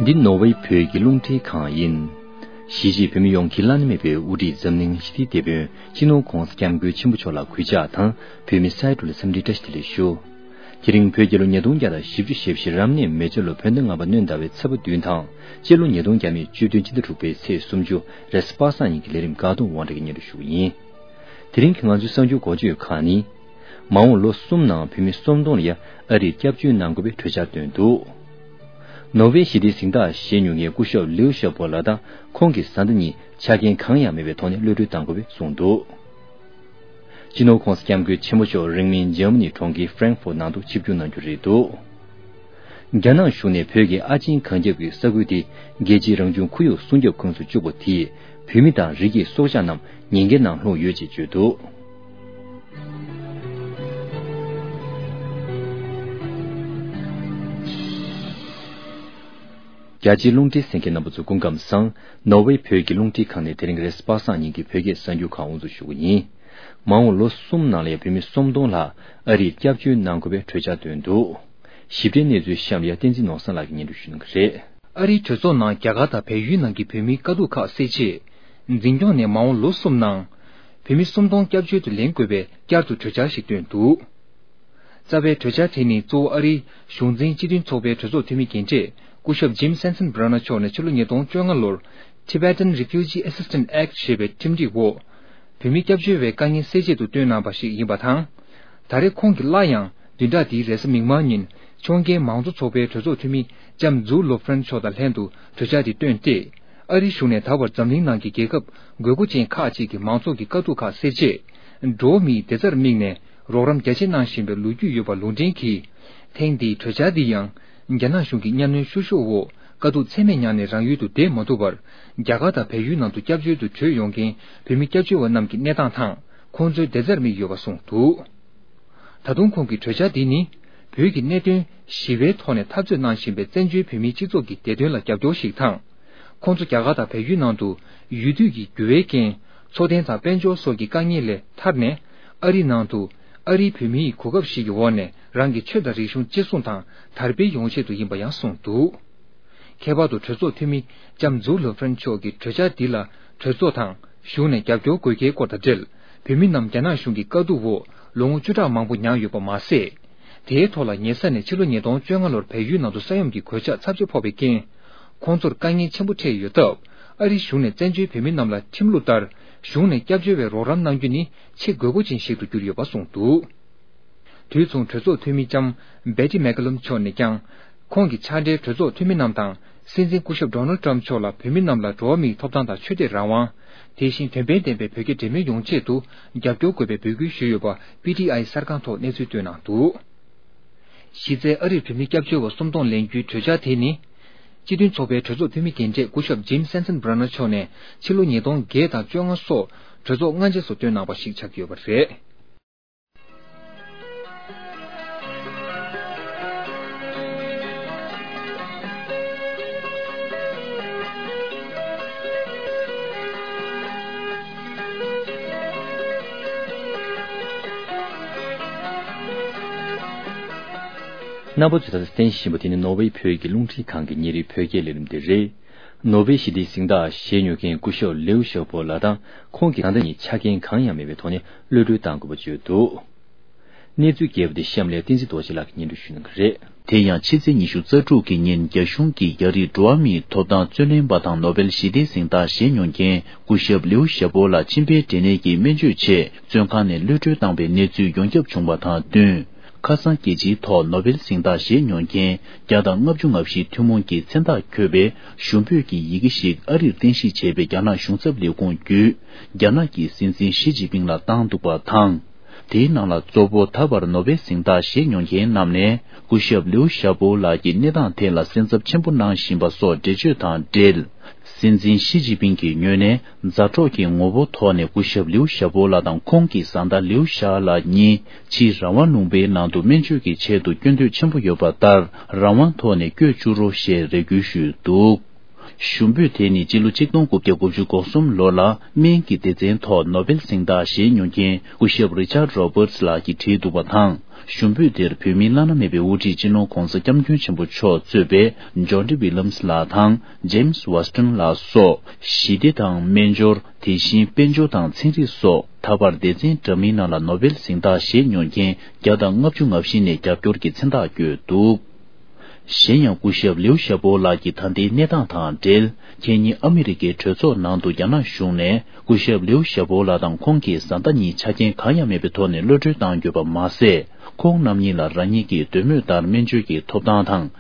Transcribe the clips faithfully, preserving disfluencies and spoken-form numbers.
འདི་ནོར་ཝེ་བོད་ཀྱི་རླུང་འཕྲིན་ཁང་ཡིན། གཞིས་བྱེས་བོད་མི་ཡོངས་ཀྱི་བླ་ན་མེད་པའི་དབུ་ཁྲིད་འཛམ་གླིང་ཞི་བདེའི་དེད་དཔོན་སྤྱི་ནོར་༸གོང་ས་༸སྐྱབས་མགོན་ཆེན་པོ་མཆོག་ལ་གུས་ཕྱག་དང་། བོད་མི་སའི་འབྲུ་ལ་འཚམས་འདྲིའི་བཀྲ་ཤིས་བདེ་ལེགས་ཞུ། དེ་རིང་བོད་རྒྱལ་ལོ་ཉིས་སྟོང་བརྒྱ་དང་བཞི་བཅུ་ཞེ་བཞི་རབ་གནས་མེ་བྱ་ལོ་བོད་ཟླ་ལྔ་པ་སྣྲོན་ཟླ་བའི་ཚེས་པ་བདུན་དང་། སྤྱི་ལོ་ཉིས་སྟོང་བརྒྱ་མེད་བཅུ་བདུན་སྤྱི་ཟླ་དྲུག་པའི་ཚེས་སུམ་ཅུ་རེས་གཟའ་པ་སངས་ཉིན་གྱི་ལས་རིམ་འགག་སྡོམ་དབང་གྲགས་ཀྱིས་སྙན་སྒྲོན་ཞུ་གི་ཡིན། དེ་རིང་གི་ང་ཚོའི་གསར་འགྱུར་འགོ་བརྗོད་ཁག་ནི། མ་འོངས་ལོ་གསུམ་ནང་བོད་མི་སུམ་སྟོང་ལ་ཡ་ཨ་རིར་སྐྱབས་བཅོལ་གནང་དགོས་པའི་གྲོས་འཆར་བཏོན་འདུག་ནོར་ཝེ་ཞི་བདེའི་གཟེངས་རྟགས་བཞེས་མྱོང་མཁན་སྐུ་ཞབས་ལིའུ་ཞའོ་པོ་ལགས་དང་ཁོང་གི་བཟའ་ཟླ་གཉིས་ཆ་རྐྱེན་གང་ཡང་མེད་པའི་ཐོག་ནས་གློད་གྲོལ་གཏང་དགོས་པའི་གསུངས་འདུག་སྤྱི་ནོར་༸གོང་ས་༸སྐྱབས་མགོན་ཆེན་པོ་མཆོག་རིང་མིན་འཇར་མ་ནིའི་གྲོང་ཁྱེར་ཧྥ་རན་ཧྥུར་ནང་དུ་ཆིབས་བསྒྱུར་གནང་རྒྱུ་རེད་འདུག་རྒྱ་ནག་གཞུང་ནས་བོད་ཀྱི་ཨ་ཆེན་གངས་རྒྱབ་ཀྱི་ས་ཁུལ་དེ་རྒྱལ་སྤྱིའི་རང་བྱུང་ཁོར་ཡུག་སྲུང་སྐྱོབ་ཁོངས་སུ་བཅུག་པ་དེས་བོད་མི་དང་རི་སྐྱེས་སྲོག་ཆགས་རྣམས་ཉེན་ཁའི་ནང་ལྷུང་ཡོད་ཅེས་བརྗོད་འདུག་རྒྱ་ཆེའི་རླུང་འཕྲིན་གསན་མཁན་རྣམ་པ་ཚོ་སྐུ་ཁམས་བཟང་། ནོར་ཝེ་བོད་ཀྱི་རླུང་འཕྲིན་ཁང་ནས་དེ་རིང་རེས་གཟའ་པ་སངས་ཉིན་གྱི་བོད་སྐད་གསར་འགྱུར་ཁག་དབུ་འཛུགས་ཞུ་གི་ཡིན། མ་འོངས་ལོ་གསུམ་ནང་ལ་བོད་མི་སུམ་སྟོང་ལྷག་ཨ་རིར་སྐྱབས་བཅོལ་གནང་དགོས་པའི་གྲོས་འཆར་བཏོན་འདུག་ཞིབ་ཕྲའི་གནས་ཚུལ་གཤམ་ལ་བསྟན་འཛིན་ནོར་བཟང་ལགས་ཀྱིས་སྙན་སྒྲོན་ཞུ་གནང་གི་རེད། ཨ་རིའི་གྲོས་ཚོགས་ནང་རྒྱ་གར་དང་བལ་ཡུལ་ནང་གི་བོད་མིའི་དཀའ་སྡུག་ཁག་སེལ་ཆེད། འཛིན་སྐྱོང་ནས་མ་འོངས་ལོ་གསུམ་ནང་། བོད་མི་སུམ་སྟོང་སྐྱབས་བཅོལ་དུ་ལེན་དགོས་པའི་བསྐྱར་དུ་གྲོས་འཆར་ཞིག་བཏོན་འདུག་རྩ་བའི་གྲོས་འཆར་དེ་ནི་གཙོ་བོ་ཨ་རིའི་གཞུང་འཛིན་སྤྱི་མཐུན་ཚོགས་པའི་གྲོས་ཚོགས་འཐུས་མི་རྒན་གྲས་སྐུ་ཞབས་ཇིམ་སན་སན་བྷ་ར་ན་མཆོག་ནས་ཕྱི་ལོ་ཉིས་སྟོང་བཅོ་ལྔ་ལོར་Tibetan Refugee Assistance Act ཞེས་པའི་ཁྲིམས་སྒྲིག་འོག་བོད་མི་སྐྱབས་བཅོལ་བའི་དཀའ་ངལ་སེལ་ཆེད་དུ་བཏོན་གནང་བ་ཞིག་ཡིན་པ་དང་། ད་རེས་ཁོང་གིས་སླར་ཡང་བདུན་ཕྲག་འདིའི་རེས་གཟའ་མིག་དམར་ཉིན་ཕྱོགས་འགལ་མང་གཙོ་ཚོགས་པའི་གྲོས་ཚོགས་འཐུས་མི་ལྕམ་ཛུའུ་ལོ་ཧྥ་རན་མཆོག་དང་ལྷན་དུ་གྲོས་འཆར་དེ་བཏོན་ཏེ། ཨ་རིའི་གཞུང་ནས་ད་བར་འཛམ་གླིང་ནང་གི་རྒྱལ་ཁབ་དགོས་མཁོ་ཅན་ཁག་ཅིག་གི་མང་ཚོགས་ཀྱི་དཀའ་སྡུག་ཁག་སེལ་ཆེད། འགྲོ་བ་མིའི་བདེ་རྩར་དམིགས་ནས་རོགས་རམ་རྒྱ་ཆེ་གནང་བཞིན་པའི་ལོ་རྒྱུས་ཡོད་པ་ལུང་འདྲེན་གྱིས། ཐེངས་འདིའི་གྲོས་འཆར་འདི་ཡང་། རྒྱ་ནག་གཞུང་གི་གཉའ་གནོན་བཤུ་གཞོག་འོག་དཀའ་སྡུག་ཚད་མེད་མྱངས་ནས་རང་ཡུལ་དུ་བསྡད་མ་ཐུབ་པར། རྒྱ་གར་དང་བལ་ཡུལ་ནང་དུ་སྐྱབས་བཅོལ་དུ་བྲོས་ཡོང་མཁན་བོད་མི་སྐྱབས་བཅོལ་བ་རྣམས་ཀྱི་གནས་སྟངས་དང་ཁོང་ཚོའི་བདེ་རྩར་དམིགས་ཡོད་པ་གསུངས་འདུག་ད་དུང་ཁོང་གིས་གྲོས་འཆར་འདི་ནི། བོད་ཀྱི་གནད་དོན་ཞི་བའི་ཐོག་ནས་འཐབ་རྩོད་གནང་བཞིན་པའི་བཙན་བྱོལ་བོད་མིའི་སྤྱི་ཚོགས་ཀྱི་བདེ་དོན་ལ་རྒྱབ་སྐྱོར་ཞིག་དང་། ཁོང་ཚོ་རྒྱ་གར་དང་བལ་ཡུལ་ནང་དུ་ཡུལ་དུས་ཀྱི་འགྱུར་བའི་རྐྱེན། འཚོ་རྟེན་དང་དཔལ་འབྱོར་སོགས་ཀྱི་དཀའ་ངལ་ལས་ཐར་ནས། ཨ་རིའི་ནང་དུ་ཨ་རིའི་བོད་མིའི་གོ་སྐབས་ཤིག་གི་འོག་ནས་རང་གི་ཆོས་དང་རིག་གཞུང་གཅེས་སྲུང་དང་དར་སྤེལ་ཡོང་ཆེད་དུ་ཡིན་པ་ཡང་གསུངས་འདུག་ཁྱད་པར་དུ་གྲོས་ཚོགས་འཐུས་མི་ལྕམ་ཛུའུ་ལོ་ཧྥ་རན་མཆོག་གིས་གྲོས་འཆར་འདི་ལ་གྲོས་ཚོགས་དང་གཞུང་ནས་རྒྱབ་སྐྱོར་དགོས་གལ་སྐོར་དང་འབྲེལ། བོད་མི་རྣམས་རྒྱ་ནག་གཞུང་གི་དཀའ་སྡུག་འོག་ལོ་ངོ་བཅུ་ཕྲག་མང་པོ་མྱངས་ཡོད་པ་མ་ཟད། དེའི་ཐོག་ལ་ཉེ་ས་ནས་ཕྱི་ལོ་ཉིས་སྟོང་བཅོ་ལྔ་ལོར་བལ་ཡུལ་ནང་དུ་ས་ཡོམ་གྱི་གོད་ཆག་ཚབས་ཆེ་ཕོག་པའི་རྐྱེན། ཁོང་ཚོར་དཀའ་ངལ་ཆེན་པོ་འཕྲད་ཡོད་སྟབས། ཨ་རིའི་གཞུང་ནས་བཙན་བྱོལ་བོད་མི་རྣམས་ལ་ཁྲིམས་ལུགས་ལྟར་གཞུང་ནས་སྐྱབས་བཅོལ་བའི་རོགས་རམ་གནང་རྒྱུ་ནི་ཆེས་དགོས་མཁོ་ཅན་ཞིག་ཏུ་གྱུར་ཡོད་པ་གསུངས་འདུག་དུས་མཚུངས་གྲོས་ཚོགས་འཐུས་མི་ལྕམ་བེ་ཏི་མེག་ཀ་ལུམ་མཆོག་ནས་ཀྱང་། ཁོང་གི་ཕྱག་སྦྲེལ་གྲོས་ཚོགས་འཐུས་མི་རྣམས་དང་། སྲིད་འཛིན་སྐུ་ཞབས་ཌོ་ནལ་ཊམ་མཆོག་ལ་བོད་མི་རྣམས་ལ་འགྲོ་བ་མིའི་ཐོབ་ཐང་དང་ཆོས་དད་རང་དབང་། དེ་བཞིན་དོན་ཕན་ལྡན་པའི་བོད་རྒྱ་འབྲེལ་མོལ་ཡོང་ཆེད་དུ་རྒྱབ་སྐྱོར་དགོས་པའི་འབོད་སྐུལ་ཞུས་ཡོད་པ་པི་ཊི་ཨའི་གསར་ཁང་ཐོག་གནས་ཚུལ་བཏོན་གནང་འདུག་གཞི་རྩའི་ཨ་རིར་བོད་མི་སྐྱབས་བཅོལ་བ་སུམ་སྟོང་ལེན་རྒྱུའི་གྲོས་འཆར་དེ་ནི། སྤྱི་མཐུན་ཚོགས་པའི་གྲོས་ཚོགས་འཐུས་མི་རྒན་གྲས་སྐུ་ཞབས་ཇིམ་སན་སན་བྷ་ར་ན་མཆོག་ནས་ཕྱི་ལོ་ཉིས་སྟོང་བརྒྱད་དང་བཅོ་ལྔ་སོགས་གྲོས་ཚོགས་སྔ་རྗེས་སུ་བཏོན་གནང་བ་ཞིག་ཆགས་ཀྱི་ཡོད་པ་རེད། རྣམ་པ་ཚོས་ད་ལྟ་གསན་བཞིན་པ་དེ་ནི་ནོར་ཝེ་བོད་ཀྱི་རླུང་འཕྲིན་ཁང་གི་ཉིན་རེའི་བོད་སྐད་ལས་རིམ་དེ་རེད། ནོ་བེལ་ཞི་བདེའི་གཟེངས་རྟགས་བཞེས་མྱོང་མཁན་སྐུ་ཞབས་ལེའུ་ཞའོ་པོ་ལགས་དང་ཁོང་གི་བཟའ་ཟླ་གཉིས་ཆ་རྐྱེན་གང་ཡང་མེད་པའི་ཐོག་ནས་གློད་གྲོལ་གཏང་དགོས་པ་བརྗོད་འདུག་གནས་ཚུལ་རྒྱས་པ་དེ་གཤམ་ལ་བསྟན་འཛིན་རྡོ་རྗེ་ལགས་ཀྱིས་སྙན་སྒྲོན་ཞུ་གནང་གི་རེད། དེ་ཡང་ཕྱི་ཚེས་ཉི་ཤུ་རྩ་དྲུག་གི་ཉིན་རྒྱ་གཞུང་གིས་རྒྱ་རིགས་འགྲོ་བ་མིའི་ཐོབ་ཐང་རྩོད་ལེན་པ་དང་ནོ་བེལ་ཞི་བདེའི་གཟེངས་རྟགས་བཞེས་མྱོང་མཁན་སྐུ་ཞབས་ལེའུ་ཞའོ་པོ་ལགས་མཆིན་པའི་འབྲས་ནད་ཀྱི་སྨན་བཅོས་ཆེད་བཙོན་ཁང་ནས་གློད་གྲོལ་བཏང་བའི་གནས་ཚུལ་ཡོངས་ཁྱབ་བྱུང་བ་དང་བསྟུན། ཁ་སང་རྒྱལ་སྤྱིའི་ཐོག་ནོ་བེལ་གཟེངས་རྟགས་བཞེས་མྱོང་མཁན་བརྒྱ་དང་ལྔ་བཅུ་ང་བཞི་ཐུན་མོང་གི་མཚན་རྟགས་འཁོད་པའི་ཞུ་འབོད་ཀྱི་ཡི་གེ་ཞིག་ཨ་རིར་རྟེན་གཞི་བྱས་པའི་རྒྱ་ནག་གཞུང་ཚབ་ལས་ཁུངས་བརྒྱུད་རྒྱ་ནག་གི་སྲིད་འཛིན་ཞི་ཅིན་ཕིང་ལ་བཏང་འདུག་པ་དང་། དེའི་ནང་ལ་གཙོ་བོ་ད་བར་ནོ་བེལ་གཟེངས་རྟགས་བཞེས་མྱོང་མཁན་རྣམས་ནས་སྐུ་ཞབས་ལིའུ་ཞའོ་པོ་ལགས་ཀྱི་གནས་སྟངས་ཐད་ལ་སེམས་འཚབ་ཆེན་པོ་གནང་བཞིན་པ་སོགས་འགྲེལ་བརྗོད་དང་འབྲེལ། སྲིད་འཛིན་ཞི་ཅིན་ཕིང་གི་ངོས་ནས་མཛའ་གྲོགས་ཀྱི་ངོ་བོ་ཐོག་ནས་སྐུ་ཞབས་ལིའུ་ཞའོ་པོ་ལགས་དང་ཁོང་གི་བཟའ་ཟླ་ལིའུ་ཞའོ་ལགས་གཉིས་ཕྱིའི་རང་དབང་ལུང་པའི་ནང་དུ་སྨན་བཅོས་ཀྱི་ཆེད་དུ་སྐྱོད་འདོད་ཆེན་པོ་ཡོད་པ་ལྟར་རང་དབང་ཐོག་ནས་བསྐྱོད་བཅུག་རོགས་ཞེས་རེ་སྐུལ་ཞུས་འདུག་ཞུ་འབོད་དེ་ནི་སྤྱི་ལོ་ཆིག་སྟོང་དགུ་བརྒྱ་དགུ་བཅུ་གོ་གསུམ་ལོ་ལ་སྨན་གྱི་སྡེ་ཚན་ཐོག་ནོ་བེལ་གཟེངས་རྟགས་བཞེས་མྱོང་མཁན་སྐུ་ཞབས་རི་ཆར་རོ་བར་ལགས་ཀྱིས་བྲིས་འདུག་པ་དང་། ཞུ་འབོད་དེར་བོད་མིའི་བླ་ན་མེད་པའི་དབུ་ཁྲིད་སྤྱི་ནོར་༧གོང་ས་༧སྐྱབས་མགོན་ཆེན་པོ་མཆོག་གཙོས་པའི་ཇོན་ཌི་ཝི་ལམ་སི་ལགས་དང་ཇེམ་སི་ཝ་སི་ཊོན་ལགས་སོགས་ཞི་བདེ་དང་སྨན་སྦྱོར། དེ་བཞིན་དཔལ་འབྱོར་དང་ཚན་རིག་སོགས་ད་བར་སྡེ་ཚན་འདྲ་མིན་ནང་ལ་ནོ་བེལ་གཟེངས་རྟགས་བཞེས་མྱོང་མཁན་བརྒྱ་དང་ལྔ་བཅུ་ང་བཞི་ནས་རྒྱབ་སྐྱོར་གྱི་མཚན་རྟགས་བཀོད་འདུག་གཞན་ཡང་སྐུ་ཞབས་ལིའུ་ཞའོ་པོ་ལགས་ཀྱི་ད་ལྟའི་གནས་སྟངས་དང་འབྲེལ། ཁེ་ཉིན་ཨ་མི་རི་ཀའི་གྲོས་ཚོགས་ནང་དུ་རྒྱ་ནག་གཞུང་ནས་སྐུ་ཞབས་ལིའུ་ཞའོ་པོ་ལགས་དང་ཁོང་གི་བཟའ་ཟླ་གཉིས་ཆ་རྐྱེན་གང་ཡང་མེད་པའི་ཐོག་ནས་གློད་གྲོལ་བཏང་ཡོད་པ་མ་ཟད། ཁོང་རྣམ་གཉིས་ལ་རང་ཉིད་ཀྱི་འདོད་མོས་ལྟར་སྨན་བཅོས་ཀྱི་ཐོབ་ཐང་དང་།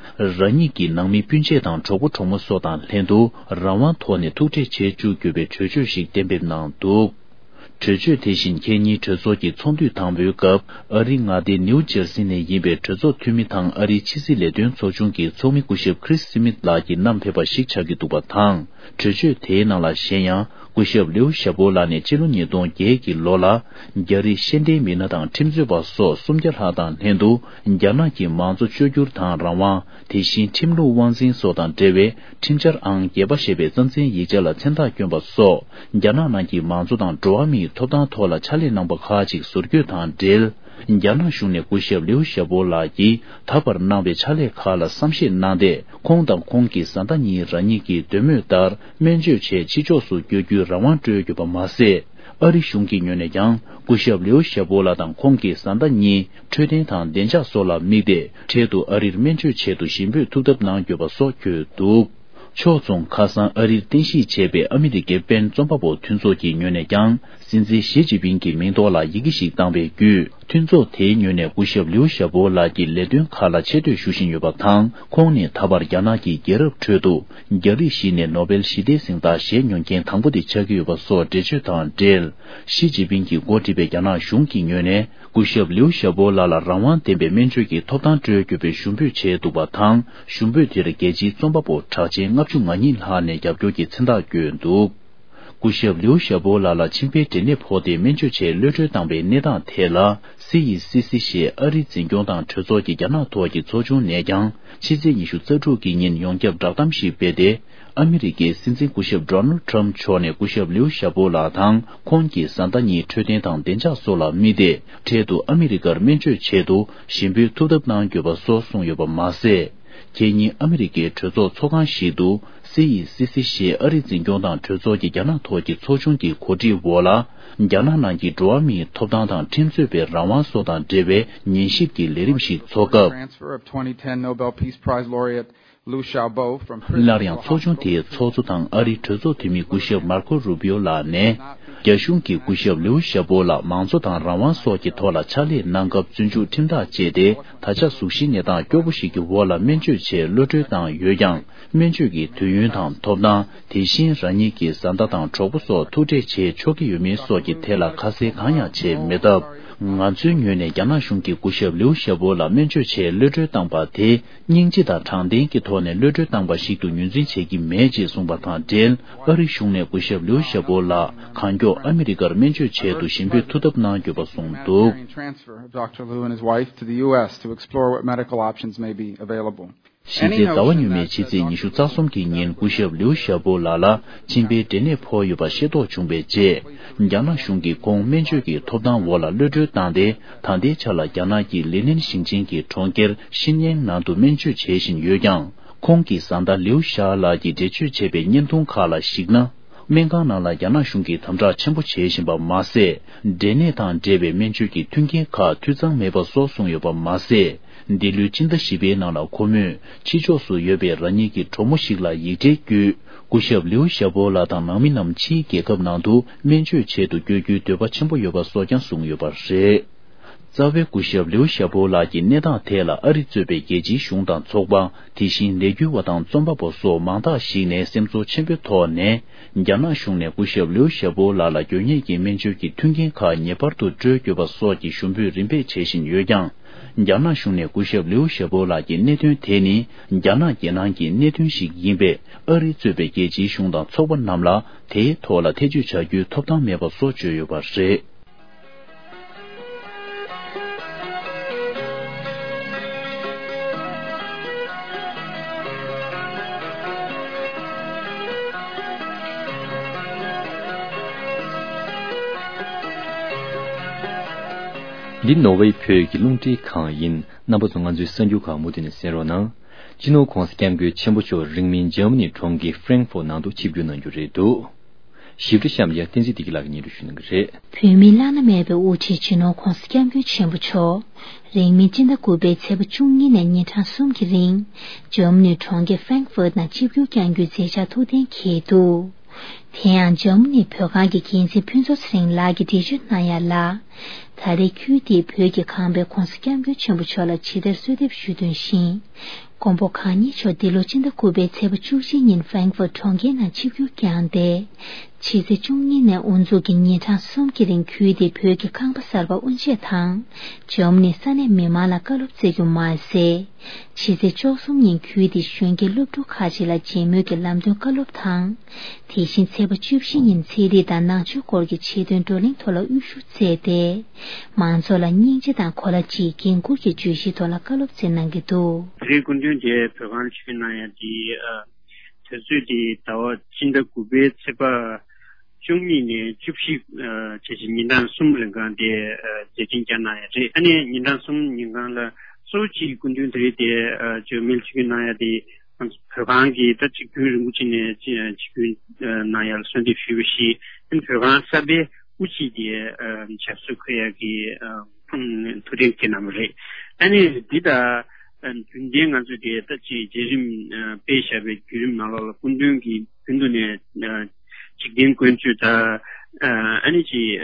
རང་ཉིད་ཀྱི་ནང་མི་སྤུན་མཆེད་དང་གྲོགས་པོ་གྲོགས་མོ་སོགས་དང་ལྷན་དུ་རང་དབང་ཐོག་ནས་ཐུག་འཕྲད་བྱེད་བཅུག་རྒྱུ་བའི་གྲོས་ཆོད་ཞིག་གཏན་འབེབས་གནང་འདུག་གྲོས་ཆོད་དེ་བཞིན་ཁེ་ཉིན་གྲོས་ཚོགས་ཀྱི་ཚོགས་འདུའི་དང་པོའི་སྐབས་ཨ་རིའི་མངའ་སྡེ་ནིའུ་ཇར་སི་ནས་ཡིན་པའི་གྲོས་ཚོགས་འཐུས་མི་དང་ཨ་རིའི་ཕྱི་སྲིད་ལས་དོན་ཚོགས་ཆུང་གི་ཚོགས་མི་སྐུ་ཞབས་ཁྲིས་སི་མིད་ལགས་ཀྱིས་བསྣམས་ཕེབས་པ་ཞིག་ཆགས་ཀྱི་འདུག་པ་དང་། གྲོས་ཆོད་དེའི་ནང་ལ་གཞན་ཡང་སྐུ་ཞབས་ལིའུ་ཞའོ་པོ་ལགས་ནས་ཕྱི་ལོ་ཉིས་སྟོང་བརྒྱད་ཀྱི་ལོ་ལ་རྒྱ་རིགས་ཤེས་ལྡན་མི་སྣ་དང་ཁྲིམས་རྩོད་པ་སོགས་སུམ་བརྒྱ་ལྷག་དང་ལྷན་དུ་རྒྱ་ནག་གི་མང་གཙོ་བཅོས་བསྒྱུར་དང་རང་དབང་། དེ་བཞིན་ཁྲིམས་ལུགས་དབང་འཛིན་སོགས་དང་འབྲེལ་བའི་ཁྲིམས་འཆར་ཨང་བརྒྱད་པ་ཞེས་པའི་རྩ་འཛིན་ཡིག་ཆ་ལ་མཚན་རྟགས་བསྐྱོན་པ་སོགས་རྒྱ་ནག་ནང་གི་མང་གཙོ་དང་འགྲོ་བ་མིའི་ཐོབ་ཐང་ཐོག་ལ་ཕྱག་ལས་གནང་པ་ཁག་ཅིག་ཟུར་བསྐྱོད་དང་འབྲེལ། རྒྱ་ནག་གཞུང་ནས་སྐུ་ཞབས་ལིའུ་ཞའོ་པོ་ལགས་ཀྱིས་ད་བར་གནང་བའི་ཕྱག་ལས་ཁག་ལ་བསམ་ཤེས་གནང་སྟེ། ཁོང་དང་ཁོང་གི་བཟའ་ཟླ་གཉིས་རང་ཉིད་ཀྱི་འདོད་མོས་ལྟར་སྨན་བཅོས་ཆེད་ཕྱི་ཕྱོགས་སུ་བསྐྱོད་རྒྱུའི་རང་དབང་སྤྲོད་ཡོད་པ་མ་ཟད། ཨ་རི་གཞུང་གི་ངོས་ནས་ཀྱང་སྐུ་ཞབས་ལིའུ་ཞའོ་པོ་ལགས་དང་ཁོང་གི་བཟའ་ཟླ་གཉིས་འཕྲོད་བསྟེན་དང་བདེ་འཇགས་སོགས་ལ་དམིགས་ཏེ། འཕྲལ་དུ་ཨ་རིར་སྨན་བཅོས་ཆེད་དུ་ཞིབ་འཇུག་ཐུབ་ཐབས་གནང་དགོས་པ་སོགས་བཀོད་འདུག་ཕྱོགས་མཚུངས་ཁ་སང་ཨ་རིར་རྟེན་གཞི་བྱས་པའི་ཨ་མི་རི་ཀའི་པེན་རྩོམ་པ་པོ་མཐུན་ཚོགས་ཀྱི་ངོས་ནས་ཀྱང་སྲིད་འཛིན་ཞི་ཅིན་ཕིང་གི་མིང་ཐོག་ལ་ཡི་གེ་ཞིག་བཏང་བའི་བརྒྱུད། མཐུན་ཚོགས་དེའི་ངོས་ནས་སྐུ་ཞབས་ལིའུ་ཞའོ་པོ་ལགས་ཀྱི་ལས་དོན་ཁག་ལ་ཆེ་བསྟོད་ཞུ་བཞིན་ཡོད་པ་དང་། ཁོང་ནི་ད་བར་རྒྱ་ནག་གི་རྒྱལ་རབས་ཁྲོད་དུ་རྒྱ་རིགས་ཤིག་ནས་ནོ་བེལ་ཞི་བདེའི་གཟེངས་རྟགས་བཞེས་མྱོང་མཁན་དང་པོ་དེ་ཆགས་ཀྱི་ཡོད་པ་སོགས་འགྲེལ་བརྗོད་དང་འབྲེལ། ཞི་ཅིན་ཕིང་གིས་འགོ་ཁྲིད་པའི་རྒྱ་ནག་གཞུང་གི་ངོས་ནས། སྐུ་ཞབས་ལིའུ་ཞའོ་པོ་ལགས་ལ་རང་དབང་ལྡན་པའི་སྨན་བཅོས་ཀྱི་ཐོབ་ཐང་སྤྲོད་དགོས་པའི་ཞུ་འབོད་བྱས་འདུག་པ་དང་། ཞུ་འབོད་དེར་རྒྱལ་སྤྱིའི་རྩོམ་པ་པོ་གྲགས་ཅན་ལྔ་བཅུ་ང་གཉིས་ལྷག་ནས་རྒྱབ་སྐྱོར་གྱི་མཚན་རྟགས་བཀོད་འདུག་སྐུ་ཞབས་ལིའུ་ཞའོ་པོ་ལགས་ལ་མཆིན་པའི་འབྲས་ནད་ཕོག་སྟེ་སྨན་བཅོས་ཆེད་གློད་གྲོལ་བཏང་བའི་གནས་སྟངས་ཐད་ལ། སི་ཡི་སི་སི་ཞེས་ཨ་རིའི་འཛིན་སྐྱོང་དང་གྲོས་ཚོགས་ཀྱི་རྒྱ་ནག་ཐོག་གི་ཚོགས་ཆུང་ནས་ཀྱང་ཕྱི་ཚེས་ཉི་ཤུ་རྩ་དྲུག་གི་ཉིན་ཡོངས་ཁྱབ་བསྒྲགས་གཏམ་ཞིག་སྤེལ་ཏེ། ཨ་མི་རི་ཀའི་སྲིད་འཛིན་སྐུ་ཞབས་ཌོ་ནལ་ཊྲམ་མཆོག་ནས་སྐུ་ཞབས་ལིའུ་ཞའོ་པོ་ལགས་དང་ཁོང་གི་བཟའ་ཟླ་གཉིས་འཕྲོད་བསྟེན་དང་བདེ་འཇགས་སོགས་ལ་དམིགས་ཏེ། འཕྲལ་དུ་ཨ་མི་རི་ཀར་སྨན་བཅོས་ཆེད་དུ་ཞིབ་འཇུག་ཐུབ་ཐབས་གནང་དགོས་པ་སོགས་གསུངས་ཡོད་པ་མ་ཟད། ཁེ་ཉིན་ཨ་མི་རི་ཀའི་གྲོས་ཚོགས་ཚོགས་ཁང་ཞིག་ཏུ་སི་ཡི་སི་སི་ཞེས་ཨ་རིའི་འཛིན་སྐྱོང་དང་གྲོས་ཚོགས་ཀྱི་རྒྱ་ནག་ཐོག་གི་ཚོགས་ཆུང་གི་གོ་སྒྲིག་འོག་ལ། རྒྱ་ནག་ནང་གི་འགྲོ་བ་མིའི་ཐོབ་ཐང་དང་ཁྲིམས་རྩོད་པའི་རང་དབང་སོགས་དང་འབྲེལ་བའི་ཉན་ཞིབ་ཀྱི་ལས་རིམ་ཞིག་འཚོགས་སྐབས། Transfer of twenty ten Nobel Peace Prize laureate Liu Xiaobo from President སླར་ཡང་ཚོགས་ཆུང་དེའི་ཚོགས་གཙོ་དང་ཨ་རིའི་གྲོས་ཚོགས་འཐུས་མི་སྐུ་ཞབས་མར་ཁོ་རུ་བྷིའོ་ལགས་ནས། རྒྱ་གཞུང་གིས་སྐུ་ཞབས་ལིའུ་ཞའོ་པོ་ལ་མང་གཙོ་དང་རང་དབང་སོགས་ཀྱི་ཐོག་ལ་ཕྱག་ལས་གནང་སྐབས་བཙོན་འཇུག་ཁྲིམས་ཐག་བཅད་དེ། ད་ཆ་གཟུགས་གཞིའི་གནས་སྟངས་སྐྱོ་པོ་ཞིག་གི་འོག་ལ་སྨན་བཅོས་ཆེད་གློད་གྲོལ་བཏང་ཡོད་ཀྱང་། སྨན་བཅོས་ཀྱི་དུས་ཡུན་དང་ཐོབ་ཐང་། དེ་བཞིན་རང་ཉིད་ཀྱི་བཟའ་ཟླ་དང་གྲོགས་པོ་སོགས་ཐུག་འཕྲད་བྱེད་ཆོག་གི་ཡོད་མེད་སོགས་ཀྱི་ཐད་ལ་ཁ་གསལ་གང་ཡང་བྱས་མེད་སྟབས། ང་ཚོའི་ངོས་ནས་རྒྱ་ནག་གཞུང་གིས་སྐུ་ཞབས་ལིའུ་ཞའོ་པོ་ལ་སྨན་བཅོས་ཆེད་གློད་གྲོལ་བཏང་པ་དེ། སྙིང་རྗེ་དང་དྲང་བདེན་གྱི་ཐོག་ནས་གློད་གྲོལ་བཏང་པ་ཞིག་ཏུ་ངོས་འཛིན་བྱེད་ཀྱི་མེད་ཅེས་གསུངས་པ་དང་འབྲེལ། ཨ་རི་གཞུང་ནས་སྐུ་ཞབས་ལིའུ་ཞའོ་པོ་ལགས་གང་མགྱོགས་ཨ་མི་རི་ཀར་སྨན་བཅོས་ཆེད་དུ་ཞིབ་འཇུག་ཐུབ་ཐབས་གནང་དགོས་པ་གསུངས་འདུག Humanitarian transfer of Doctor Liu and his wife to the U S to explore what medical options may be available. གཞི་རྩའི་ཟླ་བ་སྔོན་མའི་ཕྱི་ཚེས་ཉི་ཤུ་རྩ་གསུམ་གྱི་ཉིན་སྐུ་ཞབས་ལིའུ་ཞའོ་པོ་ལགས་ལ་མཆིན་པའི་འབྲས་ནད་ཕོག་ཡོད་པ་ཤེས་རྟོགས་བྱུང་བའི་རྗེས། རྒྱ་ནག་གཞུང་གིས་ཁོང་སྨན་བཅོས་ཀྱི་ཐོབ་ཐང་འོག་ལ་གློད་གྲོལ་བཏང་སྟེ། ད་ལྟའི་ཆར་ལ་རྒྱ་ནག་གི་ལི་ནན་ཞིང་ཆེན་གྱི་གྲོང་ཁྱེར་ཤིན་ཡན་ནང་དུ་སྨན་བཅོས་བྱེད་བཞིན་ཡོད་ཀྱང་། ཁོང་གི་བཟའ་ཟླ་ལིའུ་ཞའོ་ལགས་ཀྱིས་འགྲེལ་བརྗོད་བྱས་པའི་བརྙན་ཐུང་ཁག་ལ་གཞིགས་ན། སྨན་ཁང་ནང་ལ་རྒྱ་ནག་གཞུང་གིས་དམ་དྲག་ཆེན་པོ་བྱེད་བཞིན་པ་མ་ཟད། འབྲས་ནད་དང་འབྲེལ་བའི་སྨན་བཅོས་ཀྱི་མཐུན་རྐྱེན་ཁག་འཐུས་ཚང་མེད་པ་སོགས་གསུངས་ཡོད་པ་མ་ཟད། འདི་ལོའི་སྤྱི་ཟླ་བཞི་པའི་ནང་ལ་ཁོ་མོས་ཕྱི་ཕྱོགས་སུ་ཡོད་པའི་རང་ཉིད་ཀྱི་གྲོགས་མོ་ཞིག་ལ་ཡིག་འབྲེལ་བརྒྱུད། སྐུ་ཞབས་ལིའུ་ཞའོ་པོ་ལགས་དང་ནང་མི་རྣམས་ཕྱིའི་རྒྱལ་ཁབ་ནང་དུ་སྨན་བཅོས་ཆེད་དུ་བསྐྱོད་རྒྱུའི་འདོད་པ་ཆེན་པོ་ཡོད་པ་སོགས་ཀྱང་གསུངས་ཡོད་པ་རེད། རྩ་བའི་སྐུ་ཞབས་ལིའུ་ཞའོ་པོ་ལགས་ཀྱི་གནས་སྟངས་ཐད་ལ་ཨ་རི་གཙོས་པའི་རྒྱལ་སྤྱིའི་གཞུང་དང་ཚོགས་པ། དེ་བཞིན་ལས་འགུལ་བ་དང་རྩོམ་པ་པོ་སོགས་མང་དག་ཞིག་ནས་སེམས་ཚོར་ཆེན་པོའི་ཐོག་ནས། རྒྱ་ནག་གཞུང་ནས་སྐུ་ཞབས་ལིའུ་ཞའོ་པོ་ལགས་ལ་དགོས་ངེས་ཀྱི་སྨན་བཅོས་ཀྱི་མཐུན་རྐྱེན་ཁག་ངེས་པར་དུ་སྤྲོད་དགོས་པ་སོགས་ཀྱི་ཞུ་འབོད་རིམ་པས་བྱེད་བཞིན་ཡོད་ཀྱང་། རྒྱ་ནག་གཞུང་ནས་སྐུ་ཞབས་ལིའུ་ཞའོ་པོ་ལགས་ཀྱི་གནད་དོན་དེ་ནི་རྒྱ་ནག་རྒྱལ་ནང་གི་གནད་དོན་ཞིག་ཡིན་པས། ཨ་རི་གཙོས་པའི་རྒྱལ་སྤྱིའི་གཞུང་དང་ཚོགས་པ་རྣམས་ལ་དེའི་ཐོག་ལ་ཐེ་བྱུས་བྱ་རྒྱུའི་ཐོབ་ཐང་མེད་པ་སོགས་བརྗོད་ཡོད་པ་རེད། འདི་ནོར་ཝེ་བོད་ཀྱི་རླུང་འཕྲིན་ཁང་ཡིན། རྣམ་པ་ཚོ་ང་ཚོའི་གསར་འགྱུར་ཁག་མུ་མཐུད་ནས་གསན་རོགས་གནང་། སྤྱི་ནོར་༧གོང་ས་༧སྐྱབས་མགོན་ཆེན་པོ་མཆོག་རིང་མིན་འཇར་མ་ནི་གྲོང་ཁྱེར་ཧྥ་རེང་ཧྥུར་ནང་དུ་ཆིབས་བསྒྱུར་གནང་རྒྱུ་རེད་འདུག། ཞིབ་ཕྲ་གཤམ་ཡ་བསྟན་འཛིན་བདེ་སྐྱིད་ལགས་ཀྱིས་སྙན་སྒྲོན་ཞུ་གནང་གི་རེད། བོད་མིའི་བླ་ན་མེད་པའི་དབུ་ཁྲིད་སྤྱི་ནོར་༧གོང་ས་༧སྐྱབས་མགོན་ཆེན་པོ་མཆོག་རིང་མིན་སྤྱི་ཟླ་དགུ་པའི་ཚེས་པ་བཅུ་གཉིས་ནས་ཉིན་གྲངས་གསུམ་གྱི་རིང་འཇར་མ་ནི་གྲོང་ཁྱེར་ཧྥ་རེང་ཧྥུར་ནང་ཆིབས་བསྒྱུར་བསྐྱང་རྒྱུའི་མཛད་འཆར་ཐུགས་གཏན་འཁེལ་འདུག། དེ་ཡང་འཇར་མ་ནི་བོད་ཁང་གི་འགན་འཛིན་ཕུན་ཚོགས་ཚེ་རིང་ལགས་ཀྱིས་འགྲེལ་བརྗོད་གནང་ཡ་ལ། ད་རེས་ཁུལ་དེའི་བོད་ཀྱི་ཁང་པས་༧གོང་ས་༧སྐྱབས་མགོན་ཆེན་པོ་མཆོག་ལ་ཇི་ལྟར་གསོལ་འདེབས་ཞུས་དོན་བཞིན། མགོན་པོ་གང་ཉིད་མཆོག་འདི་ལོ་སྤྱི་ཟླ་དགུ་པའི་ཚེས་པ་བཅུ་གཅིག་ཉིན་ཧྥ་རེང་ཧྥུར་གྲོང་ཁྱེར་ནང་ཆིབས་བསྒྱུར་བསྐྱངས་ཏེ། ཕྱི་ཚེས་བཅུ་གཉིས་ནས་དབུ་འཛུགས་ཀྱིས་ཉིན་གྲངས་གསུམ་གྱི་རིང་ཁུལ་དེའི་བོད་ཀྱི་ཁང་པ་གསར་པ་དབུ་འབྱེད་དང་། འཇར་མ་ནིའི་ས་གནས་མི་མང་ལ་བཀའ་སློབ་སྩལ་རྒྱུ་མ་ཟད། ཕྱི་ཚེས་བཅུ་གསུམ་ཉིན་ཁུལ་དེའི་གཞོན་སྐྱེས་སློབ་ཕྲུག་ཁག་ཅིག་ལ་མཇལ་མོལ་གྱི་ལམ་སྟོན་བཀའ་སློབ་དང་། དེ་བཞིན་ཚེས་པ་བཅུ་བཞི་ཉིན་ཚན་རིག་དང་ནང་ཆོས་སྐོར་གྱི་ཆེད་དོན་བགྲོ་གླེང་ཐོག་ལ་དབུ་བཞུགས་སྩལ་ཏེ། མང་ཚོགས་ལ་སྙིང་རྗེ་དང་གོ་ལ་གཅིག་འགན་འཁུར་གྱི་བརྗོད་གཞིའི་ཐོག་ལ་བཀའ་སློབ་སྩལ་གནང་གི་འདུག། དེ་རིང་སྐུ་མདུན་གྱིས་བོད་ཁང་ལ་ཆིབས་བསྒྱུར་གནང་ཡ་དེ། དུས་ཚོད་དེ་ཟླ་བ་ཕྱི་ཟླ་དགུ་པའི་ཚེས་པ་བཅུ་གཉིས་ནས་བཅུ་བཞི་བྱས་ཏེ་ཉིན་གྲངས་གསུམ་རིང་གང་དེ་མཛད་འཕྲིན་བསྐྱངས་གནང་ཡ་རེད། ཨ་ནི་ཉིན་གྲངས་གསུམ་ཉིན་གང་ལ་གཙོ་བོ་གཅིག་སྐུ་མདུན་དེ་རིང་དེ་འཇར་མ་ནི་ཆིབས་བསྒྱུར་གནང་ཡ་དེ་བོད་ཁང་གིས་ད་གཅིག་རྒྱུན་རིང་པོ་ཅིག་ནས་ཆིབས་བསྒྱུར་གནང་ཡ་ལ་གསོལ་འདེབས་ཞུས་པ་བཞིན། ཨ་ནི་བོད་ཁང་གསར་པའི་དབུ་ཁྲིད་དེ་ཞབས་སོར་འཁོད་ཡ་གི་ཐུགས་གཏན་འཁེལ་གནང་བ་རེད། ཨ་ནི་འདི་ད་རྒྱུན་ལྡན་ང་ཚོས་དེ་ལྟ་ཅིག་མཛད་རིམ་སྤེལ་བཞག་པའི་བརྒྱུད་རིམ་ནང་ལོགས་ལ་སྐུ་མདུན་གྱིས་རྒྱུན་དུ་ནས་འཇིག་རྟེན་ཀུན་སྤྱོད་དང་། ཨ་ནི་ཅིག་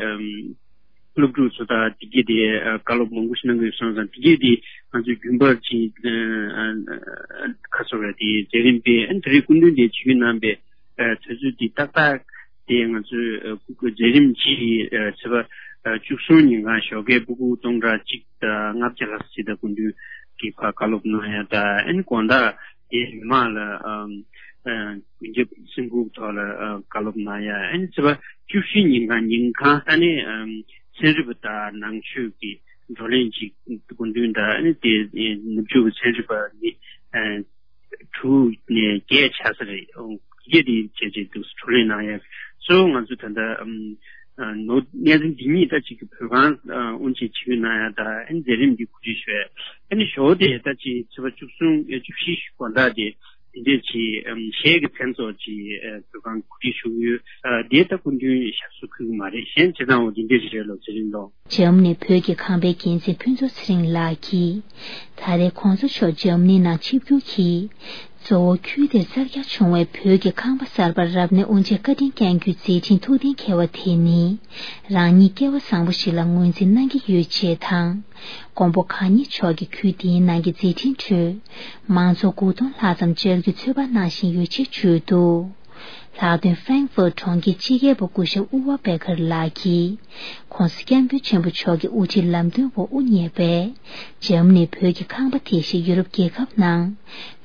སློབ་ཕྲུག་ཚོ་དང་དེ་གས་དེ་བཀའ་སློབ་མང་པོ་ཞིག་གནང་གི་ཡོད་སོང་ཙང་། དེ་གས་དེ་ང་ཚོས་རྒྱུན་པར་ཅིག་ཁ་སོ་ར་དེ་མཛད་རིམ་སྤེལ། ཨ་ནི་དེ་རིང་སྐུ་མདུན་དེ་ཆིབས་བསྒྱུར་གནང་པའི་དུས་ཚོད་འདི་ཏག་ཏག་དེ་ང་ཚོའི་མཛད་རིམ་གྱི་ཚེས་པ་བཅུ་གསུམ་ཉིན་གང་ཞོགས་ཀས་ཕྲུ་གུ་སྟོང་ཕྲག་གཅིག་དང་ལྔ་བརྒྱ་ལྷག་ཅིག་དང་སྐུ་མདུན་གྱིས་ཕར་བཀའ་སློབ་གནང་ཡ་དང་། ཨ་ནི་དགོང་དག་དེ་མི་མང་ལ་ཀུན་ཁྱབ་སེམས་ཁུར་ཐོག་ལ་བཀའ་སློབ་གནང་ཡ། ཨ་ནི་ཚེས་པ་བཅུ་བཞི་ཉིན་གང་ཉིན་གང་ཨ་ནི་ཚན་རིག་པ་དང་ནང་ཆོས་ཀྱི་བགྲོ་གླེང་ཅིག་སྐུ་མདུན་དང་། ཨ་ནི་དེ་ནུབ་ཕྱོགས་ཀྱི་ཚན་རིག་པ་ནི། དྲུག་ནས་བརྒྱད་ཆགས་ས་རེད། བརྒྱད་དེ་བྱས་རྗེས་འདུག་བགྲོ་གླེང་གནང་ཡ། གཙོ་བོ་ང་ཚོ་ད་ལྟ་ནོར་གནས་ཚུལ་འདི་གཉིས་ད་གཅིག་གི་བོད་ཁང་དབུ་འབྱེད་ཆིབས་བསྒྱུར་གནང་ཡ་དང་། ཨ་ནི་མཛད་རིམ་འདི་གོ་སྒྲིག་ཞུ་ཡ། ཨ་ནི་ཞོགས་དེ་ད་ཅིག་ཚེས་པ་བཅུ་གསུམ་ཡ་བཅུ་བཞི་དགོང་དག་དེ་དེ་འདྲས་ཅིག་གཞས་ཀྱི་མཚན་ཚོགས་ཅིག་བོད་ཁང་གོ་སྒྲིག་ཞུ་གི་ཡོད། དེ་ད་སྐུ་མདུན་ཞབས་སོར་འཁོད་ཀྱི་མ་རེད། གཞན་བྱེད་སྟངས་འོ་དེ་འདྲས་ཅིག་རེད་ལོ། མཛད་རིམ་ལོ། འཇར་མ་ནི་བོད་ཀྱི་ཁང་པའི་འགན་འཛིན་ཕུན་ཚོགས་ཚེ་རིང་ལགས་ཀྱིས། ད་རེས་གོང་ས་མཆོག་འཇར་མ་ནི་ནང་ཆིབས་བསྒྱུར་གྱིས། གཙོ་བོ་ཁུལ་དེར་གསར་རྒྱག་བྱུང་བའི་བོད་ཀྱི་ཁང་པ་གསར་པ་རབ་གནས་དབུ་འབྱེད་བཀའ་དྲིན་བསྐྱང་རྒྱུའི་མཛད་འཕྲིན་ཐུགས་གཏན་འཁེལ་བ་དེ་ནི། རང་ཉིད་སྐལ་བ་བཟང་པོ་ཞིག་ལ་ངོས་འཛིན་གནང་གི་ཡོད་ཅེས་དང་། མགོན་པོ་གང་ཉིད་མཆོག་གིས་ཁུལ་དེའི་ནང་གི་མཛད་འཕྲིན་ཁྲོད། མང་ཚོགས་དགུ་སྟོང་ལྷག་ཙམ་བཅར་རྒྱུའི་ཚོད་དཔག་གནང་བཞིན་ཡོད་ཅེས་བརྗོད་འདུག། ལྷག་དོན་ཧྥེང་ཧྥུར་གྲོང་ཁྱེར་སྤྱི་ཁྱབ་པ་སྐུ་ཞབས་ཨུ་ཝ་པེ་ཁར་ལགས་ཀྱིས། ྋགོང་ས་ྋསྐྱབས་མགོན་ཆེན་པོ་མཆོག་གི་དབུ་ཁྲིད་ལམ་སྟོན་འོག་དབུ་བརྙེས་པའི་འཇར་མ་ནི་བོད་ཀྱི་ཁང་པ་དེ་བཞིན་ཡུ་རོབ་རྒྱལ་ཁབ་ནང་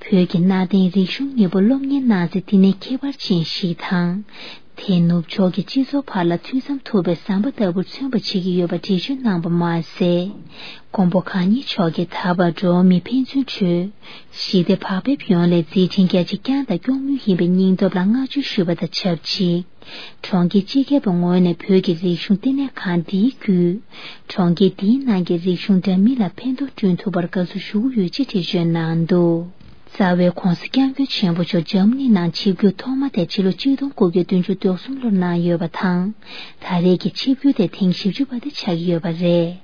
བོད་ཀྱི་གནའ་དེང་རིག་གཞུང་གཉིས་པོ་སློབ་གཉེར་གནང་ཚེ་འདི་ནས་ཁྱད་པར་ཅན་ཞིག་དང་། དེས་ནུབ་ཕྱོགས་ཀྱི་སྤྱི་ཚོགས་བར་ལ་མཐུད་མཚམས་ཐུབ་པའི་ཟམ་པ་ལྟ་བུར་མཚོན་པ་བྱེད་ཀྱི་ཡོད་པ་འགྲེལ་བརྗོད་གནང་བ་མ་ཟད། མགོན་པོ་གང་ཉིད་མཆོག་གིས་ད་བར་འགྲོ་བ་མིའི་ཕན་ཚུན་ཁྲོད། ཞི་བདེ་བག་ཕེབས་ཡོང་སླད་མཛད་འཕྲིན་རྒྱ་ཆེ་བསྐྱངས་དང་སྐྱོང་མུས་ཡིན་པའི་སྙིང་སྟོབས་ལ་བསྔགས་བརྗོད་ཞུས་པ་དང་ཆབས་ཅིག། གྲོང་ཁྱེར་སྤྱི་ཁྱབ་པའི་ངོས་ནས་བོད་ཀྱི་རིག་གཞུང་བསྟི་གནས་ཁང་འདིའི་བརྒྱུད། གྲོང་ཁྱེར་འདིའི་ནང་གི་རིག་གཞུང་འདྲ་མིན་ལ་ཕན་ཐོགས་བསྐྲུན་ཐུབ་པར་དགའ་བསུ་ཞུ་གི་ཡོད་ཅེས་འགྲེལ་བརྗོད་གནང་འདུག། རྩ་བའི་ྋགོང་ས་ྋསྐྱབས་མགོན་ཆེན་པོ་མཆོག་འཇར་མ་ནི་ནང་ཆིབས་བསྒྱུར་ཐོག་མ་དེ་ཕྱི་ལོ་ཆིག་སྟོང་དགུ་བརྒྱ་བདུན་ཅུ་དོན་གསུམ་ལོར་གནང་ཡོད་པ་དང་། ད་རེས་ཀྱི་ཆིབས་བསྒྱུར་དེ་ཐེངས་བཞི་བཅུ་པ་དེ་ཆགས་ཀྱི་ཡོད་པ་རེད།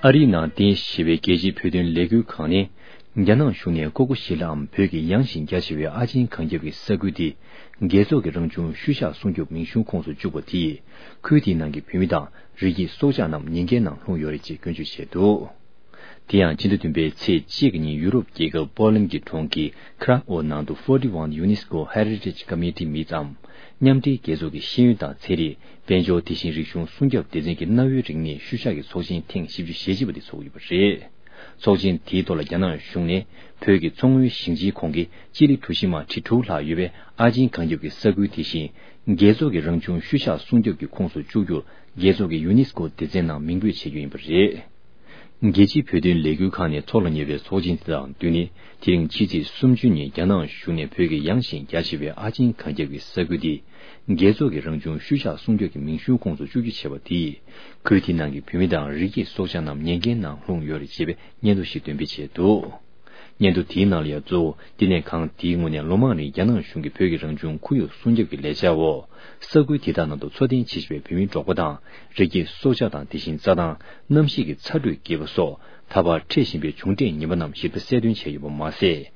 ཨ་རིའི་ནང་རྟེན་གཞི་བྱས་པའི་རྒྱལ་སྤྱིའི་བོད་དོན་ལས་འགུལ་ཁང་ནི། རྒྱ་ནག་གཞུང་ནས་ཀོ་ཀོ་ཤི་ལའམ་བོད་ཀྱི་ཡངས་ཤིང་རྒྱ་ཆེ་བའི་ཨ་ཆེན་གངས་རྒྱབ་ཀྱི་ས་ཁུལ་དེ། རྒྱལ་ཚོགས་ཀྱི་རང་བྱུང་ཤུལ་བཞག་སྲུང་སྐྱོབ་མིང་གཞུང་ཁོངས་སུ་བཅུག་པ་དེས། ཁུལ་དེའི་ནང་གི་བོད་མི་དང་རི་སྐྱེས་སྲོག་ཆགས་རྣམས་ཉེན་ཁའི་ནང་ལྷུང་ཡོད་རེད་ཅེས་སྐྱོན་བརྗོད་བྱས་འདུག། དེ་ཡང་སྤྱི་ཟླ་བདུན་པའི་ཚེས་གཅིག་གི་ཉིན་ཡུ་རོབ་རྒྱལ་ཁབ་པོ་ལན་གྱི་གྲོང་ཁྱེར་ཁ་ར་ཨོ་ནང་དུ་Forty-one UNESCO Heritage Committee Meets་འམ། མཉམ་འབྲེལ་རྒྱལ་ཚོགས་ཀྱི་ཤེས་ཡོན་དང་ཚན་རིག་དཔལ་འབྱོར། དེ་བཞིན་རིག་གཞུང་སྲུང་སྐྱོབ་སྡེ་ཚན་གྱི་གནའ་བོའི་རིག་གནས་ཤུལ་བཞག་གི་ཚོགས་ཆེན་ཐེངས་བཞི་བཅུ་ཞེ་གཅིག་པ་དེ་ཚོགས་ཡོད་པ་རེད། ཚོགས་ཆེན་དེའི་ཐོག་ལ་རྒྱ་ནག་གཞུང་ནས་བོད་ཀྱི་མཚོ་སྔོན་ཞིང་ཆེན་ཁོངས་ཀྱི་སྤྱི་ལེ་གྲུ་བཞི་མ་ཁྲི་དྲུག་ལྷག་ཡོད་པའི་ཨ་ཆེན་གངས་རྒྱབ་ཀྱི་ས་ཁུལ་དེ་བཞིན། རྒྱལ་ཚོགས་ཀྱི་རང་བྱུང་ཤུལ་བཞག་སྲུང་སྐྱོབ་ཀྱི་ཁོངས་སུ་བཅུག་རྒྱུར་རྒྱལ་ཚོགས་ཀྱི་ཡུ་ནེ་སི་ཀོ་སྡེ་ཚན་ནང་མིང་འབོད་བྱེད་རྒྱུ་ཡིན་པ་རེད། རྒྱལ་སྤྱིའི་བོད་དོན་ལས་འགུལ་ཁང་ནས་འཚོགས་ལ་ཉེ་བའི་ཚོགས་ཆེན་དེ་དང་བསྟུན་ནས། དེ་རིང་ཕྱི་ཚེས་སུམ་ཅུ་ཉིན་རྒྱ་ནག་གཞུང་ནས་བོད་ཀྱི་ཡངས་ཤིང་རྒྱ་ཆེ་བའི་ཨ་ཆེན་གངས་རྒྱབ་ཀྱི་ས་ཁུལ་འདི། རྒྱལ་ཚོགས་ཀྱི་རང་བྱུང་ཤུལ་བཞག་སྲུང་སྐྱོབ་ཀྱི་མིང་གཞུང་ཁོངས་སུ་བཅུག་རྒྱུ་བྱས་པ་དེས། ཁུལ་དེའི་ནང་གི་བོད་མི་དང་རི་སྐྱེས་སྲོག་ཆགས་རྣམས་ཉེན་ཁའི་ནང་ལྷུང་ཡོད་རེད་ཅེས་པའི་སྙན་ཐོ་ཞིག་འདོན་སྤེལ་བྱས་འདུག། སྙན་ཐོ་དེའི་ནང་ལ་ཡང་གཙོ་བོ་བསྟི་གནས་ཁང་དེའི་ངོས་ནས་ལོ་མང་རིང་རྒྱ་ནག་གཞུང་གིས་བོད་ཀྱི་རང་བྱུང་ཁོར་ཡུག་སྲུང་སྐྱོབ་ཀྱི་ལས་འཆར་འོག། ས་ཁུལ་དེ་དག་ནང་དུ་འཚོ་རྟེན་བྱེད་བཞིན་པའི་བོད་མིའི་འབྲོག་པ་དང་། རི་སྐྱེས་སྲོག་ཆགས་དང་དེ་བཞིན་རྩྭ་ཐང་། གནམ་གཤིས་ཀྱི་ཚ་དྲོད་རྒྱས་པ་སོགས། ད་བར་འཕྲད་བཞིན་པའི་བྱུང་འབྲས་ངན་པ་རྣམས་ཞིབ་ཕྲ་གསལ་སྟོན་བྱས་ཡོད་པ་མ་ཟད།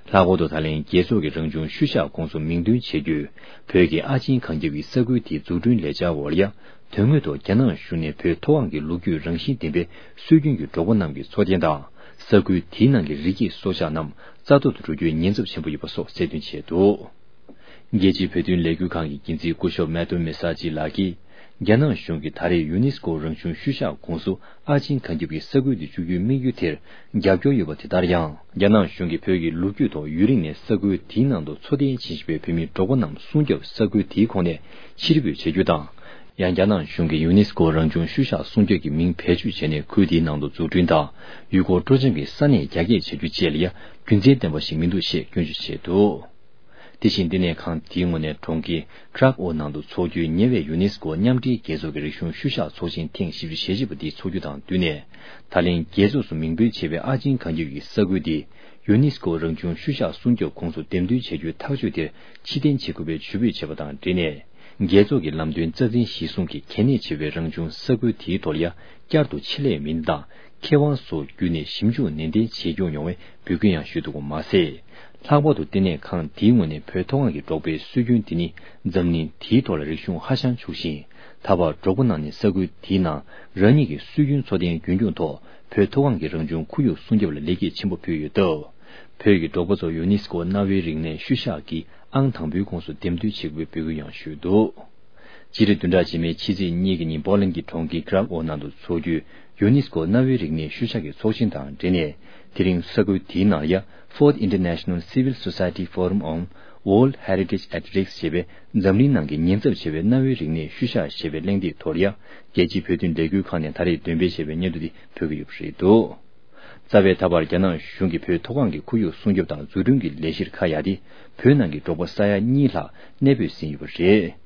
ལྷག་པར་དུ་ད་ལན་རྒྱལ་ཚོགས་ཀྱི་རང་བྱུང་ཤུལ་བཞག་ཁོངས་སུ་མིང་འདོན་བྱེད་རྒྱུའི་བོད་ཀྱི་ཨ་ཆེན་གངས་རྒྱབ་ཀྱི་ས་ཁུལ་དེའི་འཛུགས་སྐྲུན་ལས་འཆར་འོག་ལ་ཡང་དོན་དངོས་ཐོག་རྒྱ་ནག་གཞུང་ནས་བོད་མཐོ་སྒང་གི་ལོ་རྒྱུས་རང་བཞིན་ལྡན་པའི་སྲོལ་རྒྱུན་གྱི་འབྲོག་པ་རྣམས་ཀྱི་འཚོ་རྟེན་དང་། ས་ཁུལ་དེའི་ནང་གི་རི་སྐྱེས་སྲོག་ཆགས་རྣམས་རྩ་གཏོར་དུ་འགྲོ་རྒྱུའི་ཉེན་ཚབས་ཆེན་པོ་ཡོད་པ་སོགས་གསལ་སྟོན་བྱས་འདུག། རྒྱལ་སྤྱིའི་བོད་དོན་ལས་འགུལ་ཁང་གི་འགན་འཛིན་སྐུ་ཞབས་མེ་ཏོ་མེ་ས་ཅི་ལགས་ཀྱིས། རྒྱ་ནག་གཞུང་གིས་ད་རེས་ཡུ་ནེ་སི་ཀོ་རང་བྱུང་ཤུལ་བཞག་ཁོངས་སུ་ཨ་ཆེན་གངས་རྒྱབ་ཀྱི་ས་ཁུལ་དུ་བཅུག་རྒྱུའི་དམིགས་ཡུལ་དེར་རྒྱབ་སྐྱོར་ཡོད་པ་དེ་ལྟར་ཡང་། རྒྱ་ནག་གཞུང་གིས་བོད་ཀྱི་ལོ་རྒྱུས་ཐོག་ཡུན་རིང་ནས་ས་ཁུལ་དེའི་ནང་དུ་འཚོ་རྟེན་བྱེད་བཞིན་པའི་བོད་མིའི་འབྲོག་པ་རྣམས་སྲུང་སྐྱོབ། ས་ཁུལ་དེའི་ཁོངས་ནས་ཕྱིར་འབུད་བྱ་རྒྱུ་དང་། ཡང་རྒྱ་ནག་གཞུང་གིས་ཡུ་ནེ་སི་ཀོ་རང་བྱུང་ཤུལ་བཞག་སྲུང་སྐྱོབ་ཀྱི་མིང་བེད་སྤྱོད་བྱས་ནས་ཁུལ་དེའི་ནང་དུ་འཛུགས་སྐྲུན་དང་། ཡུལ་སྐོར་སྤྲོ་འཆམ་གྱི་ས་གནས་རྒྱ་སྐྱེད་བྱ་རྒྱུ་བཅས་ལ་ཡང་རྒྱུ་མཚན་ལྡན་པ་ཞིག་མི་འདུག་ཅེས་སྐྱོན་བརྗོད་བྱས་འདུག། དེ་བཞིན་བསྟི་གནས་ཁང་དེའི་ངོས་ནས་གྲོང་ཁྱེར་ཁྲག་ཨོ་ནང་དུ་འཚོགས་རྒྱུའི་ཉེ་བའི་ཡུ་ནེ་སི་ཀོ་མཉམ་འབྲེལ་རྒྱལ་ཚོགས་ཀྱི་རིག་གཞུང་ཤུལ་བཞག་ཚོགས་ཆེན་ཐེངས་བཞི་བཅུ་ཞེ་གཅིག་པ་འདི་འཚོགས་རྒྱུ་དང་བསྟུན་ནས། ད་ལན་རྒྱལ་ཚོགས་སུ་མིང་འབོད་བྱས་པའི་ཨ་ཆེན་གངས་རྒྱབ་ཀྱི་ས་ཁུལ་འདི་ཡུ་ནེ་སི་ཀོ་རང་བྱུང་ཤུལ་བཞག་སྲུང་སྐྱོབ་ཁོངས་སུ་འདེམས་ཐོན་བྱ་རྒྱུའི་ཐག་གཅོད་དེར་ཕྱིར་འཐེན་བྱེད་དགོས་པའི་ཇུས་འབོད་བྱས་པ་དང་འབྲེལ་ནས། རྒྱལ་ཚོགས་ཀྱི་ལམ་སྟོན་རྩ་འཛིན་གཞི་བཟུང་གིས་གལ་གནད་ཆེ་བའི་རང་བྱུང་ས་ཁུལ་དེའི་ཐོག་ལ་ཡང་བསྐྱར་དུ་ཆེད་ལས་མི་སྣ་དང་མཁས་དབང་སོགས་བརྒྱུད་ནས་ཞིབ་འཇུག་ནན་ཏན་བྱེད་སྐྱོང་ཡོང་བའི་འབོད་སྐུལ་ཡང་ཞུས་འདུག་པ་མ་ཟད། ལྷག་པར་དུ་བསྟི་གནས་ཁང་དེའི་ངོས་ནས་བོད་མཐོ་སྒང་གི་འབྲོག་པའི་སྲོལ་རྒྱུན་འདི་ནི་འཛམ་གླིང་དེའི་ཐོག་ལ་རིག་གཞུང་ཧ་ཅང་ཕྱུག་ཅིང་། ད་བར་འབྲོག་པ་རྣམས་ནི་ས་ཁུལ་དེའི་ནང་རང་ཉིད་ཀྱི་སྲོལ་རྒྱུན་འཚོ་རྟེན་རྒྱུན་འཁྱོངས་ཐོག་བོད་མཐོ་སྒང་གི་རང་བྱུང་ཁོར་ཡུག་སྲུང་སྐྱོབ་ལ་ལེགས་སྐྱེས་ཆེན་པོ་ཕུལ་ཡོད་སྟབས། བོད་ཀྱི་འབྲོག་པ་ཚོ་ཡུ་ནེ་སི་ཀོ་གནའ་བོའི་རིག་གནས་ཤུལ་བཞག་གི་ཨང་དང་པོའི་ཁོངས་སུ་འདེམས་ཐོན་བྱེད་དགོས་པའི་འབོད་སྐུལ་ཡང་ཞུས་འདུག། སྤྱི་ཟླ་བདུན་ཕྲག་རྗེས་མའི་ཕྱི་ཚེས་གཉིས་ཀྱི་ཉིན་པོ་ལན་གྱི་གྲོང་ཁྱེར་ཀྲག་ཨོ་ནང་དུ་འཚོགས་རྒྱུའི་ཡུ་ནེ་སི་ཀོ་གནའ་བོའི་རིག་གནས་ཤུལ་བཞག་གི་ཚོགས་ཆེན་དང་འབྲེལ་ནས། དེ་རིང་ས་ཁུལ་དེའི་ནང་ཡ་Fourth International Civil Society Forum on World Heritage at Risk ཞེས་པའི་འཛམ་གླིང་ནང་གི་ཉེན་ཚབས་ཆེ་བའི་གནའ་བོའི་རིག་གནས་ཤུལ་བཞག་ཞེས་པའི་གླེང་སྟེགས་ཐོག་ལ་ཡ། རྒྱལ་སྤྱིའི་བོད་དོན་ལས་འགུལ་ཁང་ནས་ད་རེས་འདོན་སྤེལ་བྱས་པའི་སྙན་ཐོ་འདི་ཕུལ་གྱི་ཡོད་པ་རེད་འདུག། རྩ་བའི་ད་བར་རྒྱ་ནག་གཞུང་གིས་བོད་མཐོ་སྒང་གི་ཁོར་ཡུག་སྲུང་སྐྱོབ་དང་འཛུགས་སྐྲུན་གྱི་ལས་གཞིར་ཁ་གཡར་ཏེ། བོད་ནང་གི་འབྲོག་པ་ས་ཡ་གཉིས་ལྷག་གནས་སྤོས་ཟིན་ཡོད་པ་རེད།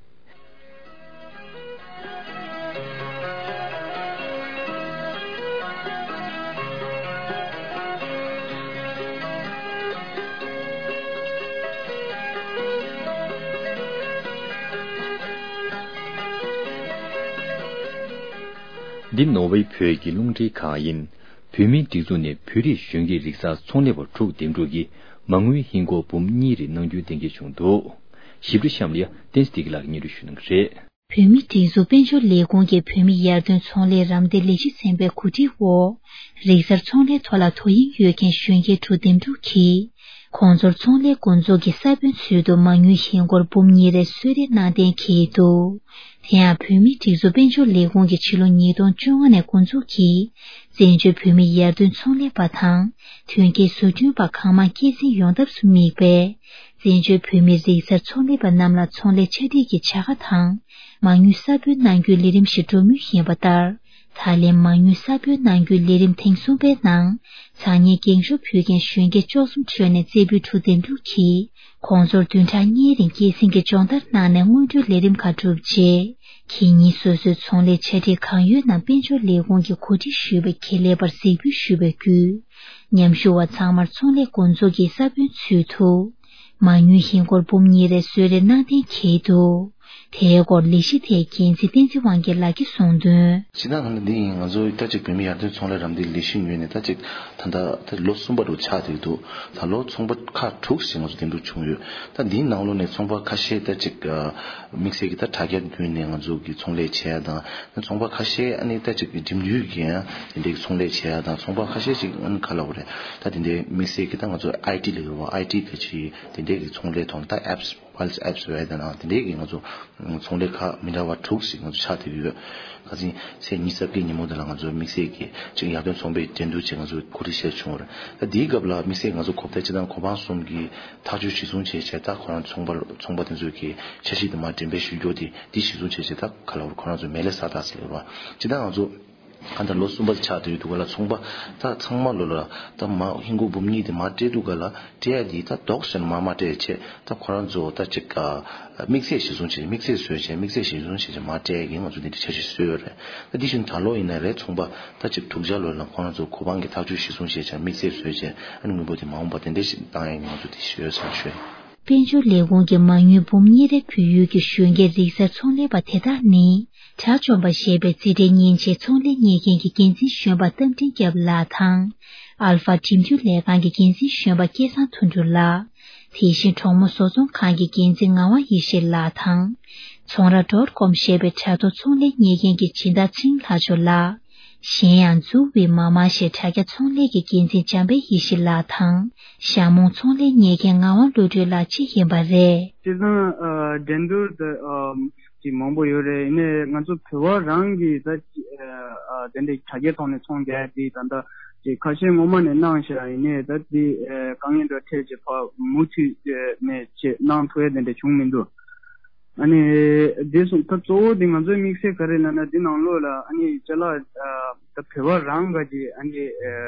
འདི་ནོར་ཝེ་བོད་ཀྱི་རླུང་འཕྲིན་ཁང་ཡིན། བོད་མིའི་སྒྲིག་འཛུགས་ནས་བོད་རིགས་གཞོན་སྐྱེས་རིག་གསར་ཚོང་ལས་པ་དྲུག་འདེམས་སྒྲུག་གིས་མ་དངུལ་ཧིན་སྒོར་འབུམ་གཉིས་རེ་གནང་རྒྱུའི་གཏན་འཁེལ་བྱུང་འདུག། ཞིབ་ཕྲ་གཤམ་ལ་བསྟན་འཛིན་བདེ་སྐྱིད་ལགས་ཀྱིས་སྙན་སྒྲོན་ཞུ་གནང་གི་རེད། བོད་མིའི་སྒྲིག་འཛུགས་དཔལ་འབྱོར་ལས་ཁུངས་ཀྱིས་བོད་མི་ཡར་ཐོན་ཚོང་ལས་རམ་འདེགས་ལས་གཞི་ཚན་པའི་གོ་སྒྲིག་འོག་རིག་གསར་ཚོང་ལས་ཐོག་ལ་དོ་དབྱིངས་ཡོད་མཁན་གཞོན་སྐྱེས་དྲུག་འདེམས་སྒྲུག་གིས། ཁོང་ཚོར་ཚོང་ལས་འགོ་འཛུགས་ཀྱི་ས་བོན་ཚུལ་དུ་མ་དངུལ་ཧིན་སྒོར་འབུམ་གཉིས་རེ་གསོལ་རས་གནང་གཏན་འཁེལ་འདུག། དེ་ཡང་བོད་མིའི་སྒྲིག་འཛུགས་དཔལ་འབྱོར་ལས་ཁུངས་ཀྱིས་ཕྱི་ལོ་ཉིས་སྟོང་བཅོ་ལྔ་ནས་འགོ་འཛུགས་ཀྱིས། བཙན་བྱོལ་བོད་མི་ཡར་ཐོན་ཚོང་ལས་པ་དང་། ཐོན་སྐྱེད་བཟོ་སྐྲུན་པ་གང་མང་སྐྱེད་སྲིང་ཡོང་ཐབས་སུ་དམིགས་པའི། བཙན་བྱོལ་བོད་མི་རིག་གསར་ཚོང་ལས་པ་རྣམས་ལ་ཚོང་ལས་ཆ་སྒྲིག་གི་བྱ་དགའ་དང་། མ་དངུལ་ས་བོན་གནང་རྒྱུའི་ལས་རིམ་ཞིག་འགྲོ་མུས་ཡིན་པ་ལྟར། ད་ལན་མ་དངུལ་ས་བོན་གནང་རྒྱུའི་ལས་རིམ་ཐེངས་གསུམ་པའི་ནང་། ཚང་མའི་འགེངས་ཤོག་ཕུལ་མཁན་གཞོན་སྐྱེས་བཅུ་གསུམ་ཁྲོད་ནས་རྩེ་ཕུད་དྲུག་འདེམས་སྒྲུག་གིས། ཁོང་ཚོར་བདུན་ཕྲག་གཉིས་རིང་སྐྱེད་སྲིང་གི་སྦྱོང་བརྡར་གནང་ནས་སྔོན་འགྲོའི་ལས་རིམ་ཁག་གྲུབ་རྗེས། ཁེ་ཉིན་སོ་སོའི་ཚོང་ལས་ཆ་སྒྲིག་གང་ཡོད་རྣམས་དཔལ་འབྱོར་ལས་ཁུངས་ཀྱིས་གོ་སྒྲིག་ཞུས་པའི་ཁེ་ལས་པར་གཟིགས་འབུལ་ཞུས་པ་བརྒྱུད། མཉམ་ཞུགས་པ་ཚང་མར་ཚོང་ལས་འགོ་འཛུགས་ཀྱི་ས་བོན་ཚུལ་དུ། མ་དངུལ་ཧིན་སྒོར་འབུམ་གཉིས་རེ་གསོལ་རས་གནང་གཏན་འཁེལ་འདུག། དེའི་སྐོར་ལས་གཞི་དེའི་འགན་འཛིན་བསྟན་འཛིན་དབང་རྒྱལ་ལགས་ཀྱིས་གསུངས་དོན། སྤྱིར་བཏང་ནི་འདི་ཡིན། ང་ཚོ་ད་ཅིག་བོད་མི་ཡར་ཐོན་ཚོང་ལས་རམ་འདེགས་ལས་གཞི་ངོས་ནས་ད་ཅིག་ད་ལྟ་ད་ལོ་གསུམ་པ་རུ་ཆགས་བསྡད་འདུག། ད་ལོ་ཚོང་པ་ཁག་དྲུག་ཞིག་ང་ཚོ་འདེམས་སྒྲུག་བྱུང་ཡོད། ད་འདིའི་ནང་ལོགས་ནས་ཚོང་པ་ཁ་ཤས་ད་ཅིག་དམིགས་བསལ་གྱི་ད་དྲ་རྒྱ་བརྒྱུད་ནས་ང་ཚོ་གི་ཚོང་ལས་བྱེད་ཡ་དང་། ཚོང་པ་ཁ་ཤས་ཨ་ནི་ད་ཅིག་འགྲིམ་འགྲུལ་གྱི་ཡང་དེ་འདྲའི་ཚོང་ལས་བྱེད་ཡ་དང་། ཚོང་པ་ཁ་ཤས་ཅིག་ཨ་ནི་ག་ལབ་དགོས་རེད། ད་དེ་འདྲའི་དམིགས་བསལ་གྱི་ད་ང་ཚོ་ཨའི་ཊི་ལབ་ཡོད་པ། ཨའི་ཊི་ག་ཅིག་དེ་འདྲའི་གི་ཚོང་ལས་ཐོག་ད་ཨེབ་སི་ Pulse App ཟེར་བ་དེ་ནང་དེ་འདྲའི་གི་ང་ཚོ་ཚོང་ལས་ཁག་མི་འདྲ་བ་དྲུག་ཞིག་ང་ཚོ་ཆགས་བསྡད་ཡོད། ཁ་སང་ཚེས་ཉི་ཤུ་རྩ་བརྒྱད་ཉིན་མོ་དེ་ལ་ང་ཚོ་དམིགས་བསལ་གྱི་ཅིག་ཡར་ཐོན་ཚོང་པའི་འགྲན་བསྡུར་ཅིག་ང་ཚོ་གོ་སྒྲིག་བྱས་བྱུང་བ་རེད། ད་དེའི་སྐབས་ལ་དམིགས་བསལ་ང་ཚོ་གོ་བརྡ་སྤྱི་དང་གོ་འཕང་གསུམ་གྱི་ཐག་གཅོད་གཞིར་བཟུང་བྱས་བྱས་ད་ཁོ་རང་ཚོང་པ་ཚོང་པ་དེ་ཚོས་ཀྱི་འཆར་གཞི་དེ་མར་འགྲེམས་སྤེལ་ཞུ་རྒྱུ་དེ་འདི་གཞིར་བཟུང་བྱས་བྱས་ད་ག་ལ་བར་ཁོ་རང་ཚོ་མེ་ལེ་ས་ད་ཟེར་བ་སྤྱི་དང་ང་ཚོ་གང་ལྟར་ལོ་གསུམ་པ་ཆགས་བསྡད་ཡོད་འདུག་ག་ལ། ཚོང་པ་ད་ཚང་མ་ལོ་ལ་ད་མ་ཧིན་སྒོར་འབུམ་གཉིས་དེ་མ་སྤྲད་འདུག་ག་ལ། སྤྲད་ཡ་དེ་ད་དོགས་ཟེར་ན་མ་མ་སྤྲད་ཡ་ཆེད་ད་ཁོ་རང་ཚོ་ད་ཅིག་དམིགས་བསལ་གཞིར་བཟུང་བྱས་དམིགས་བསལ་བཟོས་བྱས་དམིགས་བསལ་གཞིར་བཟུང་བྱས་བྱས་མ་སྤྲད་ཡ་གི་ང་ཚོ་འདི་འདྲ་འཆར་གཞི་བཟོས་ཡོད་རེད། ད་འདི་བཞིན་ད་ལོ་ཡིན་ན་རེད། ཚོང་པ་ད་ཅིག་དྲུག་ཅུ་ལོ་ལ་ཁོ་རང་ཚོ་གོ་འཕང་གི་ཐག་གཅོད་གཞིར་བཟུང་བྱས་བྱས་དམིགས་བསལ་བཟོས་བྱས་ཨ་ནི་དངུལ་འབོར་དེ་མ་འོངས་པ་དེ་འདྲ་ཞིག་བཏང་ཡ་གི་ང་ཚོ་འདི་ཞུ་ཡོད་ཟེར་ཞུ་ཡ། དཔལ་འབྱོར་ལས་ཁུངས་ཀྱི་མ་དངུལ་འབུམ་གཉིས་རེ་བུད་ཡོད་ཀྱི་གཞོན་སྐྱེས་རིག་གསར་ཚོང་ལས་པ་དེ་དག་ནི། དགྲ་བཅོམ་པ་ཞེས་པའི་རྩིས་ཁྲའི་མཉེན་ཆས་ཚོང་ལས་གཉེར་མཁན་གྱི་འགན་འཛིན་གཞོན་པ་རྟ་མགྲིན་སྐྱབས་ལགས་དང་། ཨལ་ཧྥ་འགྲིམ་འགྲུལ་ལས་ཁང་གི་འགན་འཛིན་གཞོན་པ་སྐལ་བཟང་དོན་གྲུབ་ལགས། དེ་བཞིན་གྲོགས་མོ་བཟོ་ཚོང་ཁང་གི་འགན་འཛིན་ངག་དབང་ཡེ་ཤེས་ལགས་དང་། ཚོང་ར་ཌོཊ་ཀོམ་ཞེས་པའི་དྲ་ཐོག་ཚོང་ལས་གཉེར་མཁན་གྱི་སྦྱིན་བདག་ཚེ་རིང་ལྷ་མཆོག་ལགས། གཞན་ཡང་འཛུགས་པའི་མ་མ་ཞེས་དྲ་རྒྱ་ཚོང་ལས་ཀྱི་འགན་འཛིན་འཇམ་དཔལ་ཡེ་ཤེས་ལགས་དང་། ཞྭ་མོ་ཚོང་ལས་གཉེར་མཁན་ངག་དབང་བློ་གྲོས་ལགས་བཅས་ཡིན་པ་རེད། སྤྱིར་བཏང་ཨ་འགྲན་བསྡུར་དེ་ཨ་ཅིག་མང་པོ་ཡོད་རེད། ཡིན་ནའི་ང་ཚོ་བོད་པ་རང་གིས་ད་ཅིག་ཨ་དེ་འདྲའི་དྲ་རྒྱའི་ཐོག་ནས་ཚོང་རྒྱག་ཡ་དེ་ད་ལྟ་ཅིག་ཁ་ཤས་སྔོན་མ་ནས་གནང་བཞག་ཡིན་ནའི་ད་དེ་ཨ་དཀའ་ངལ་འདྲ་འཕྲད་ཅིག་ཕར་མུ་མཐུད་ནས་ཅིག་གནང་ཐུབ་ཡ་དེ་འདྲ་བྱུང་མི་འདུག་ཨ་ནི་དེ་སོང་ད་གཙོ་བོ་དེ་ང་ཚོའི་དམིགས་བསལ་ག་རེ་ལབ་ན་དེ་ནང་ལོགས་ལ་ཨ་ནི་ཅ་ལག་ཨ་ད་བོད་པ་རང་ག་ཅིག་ཨ་ནི་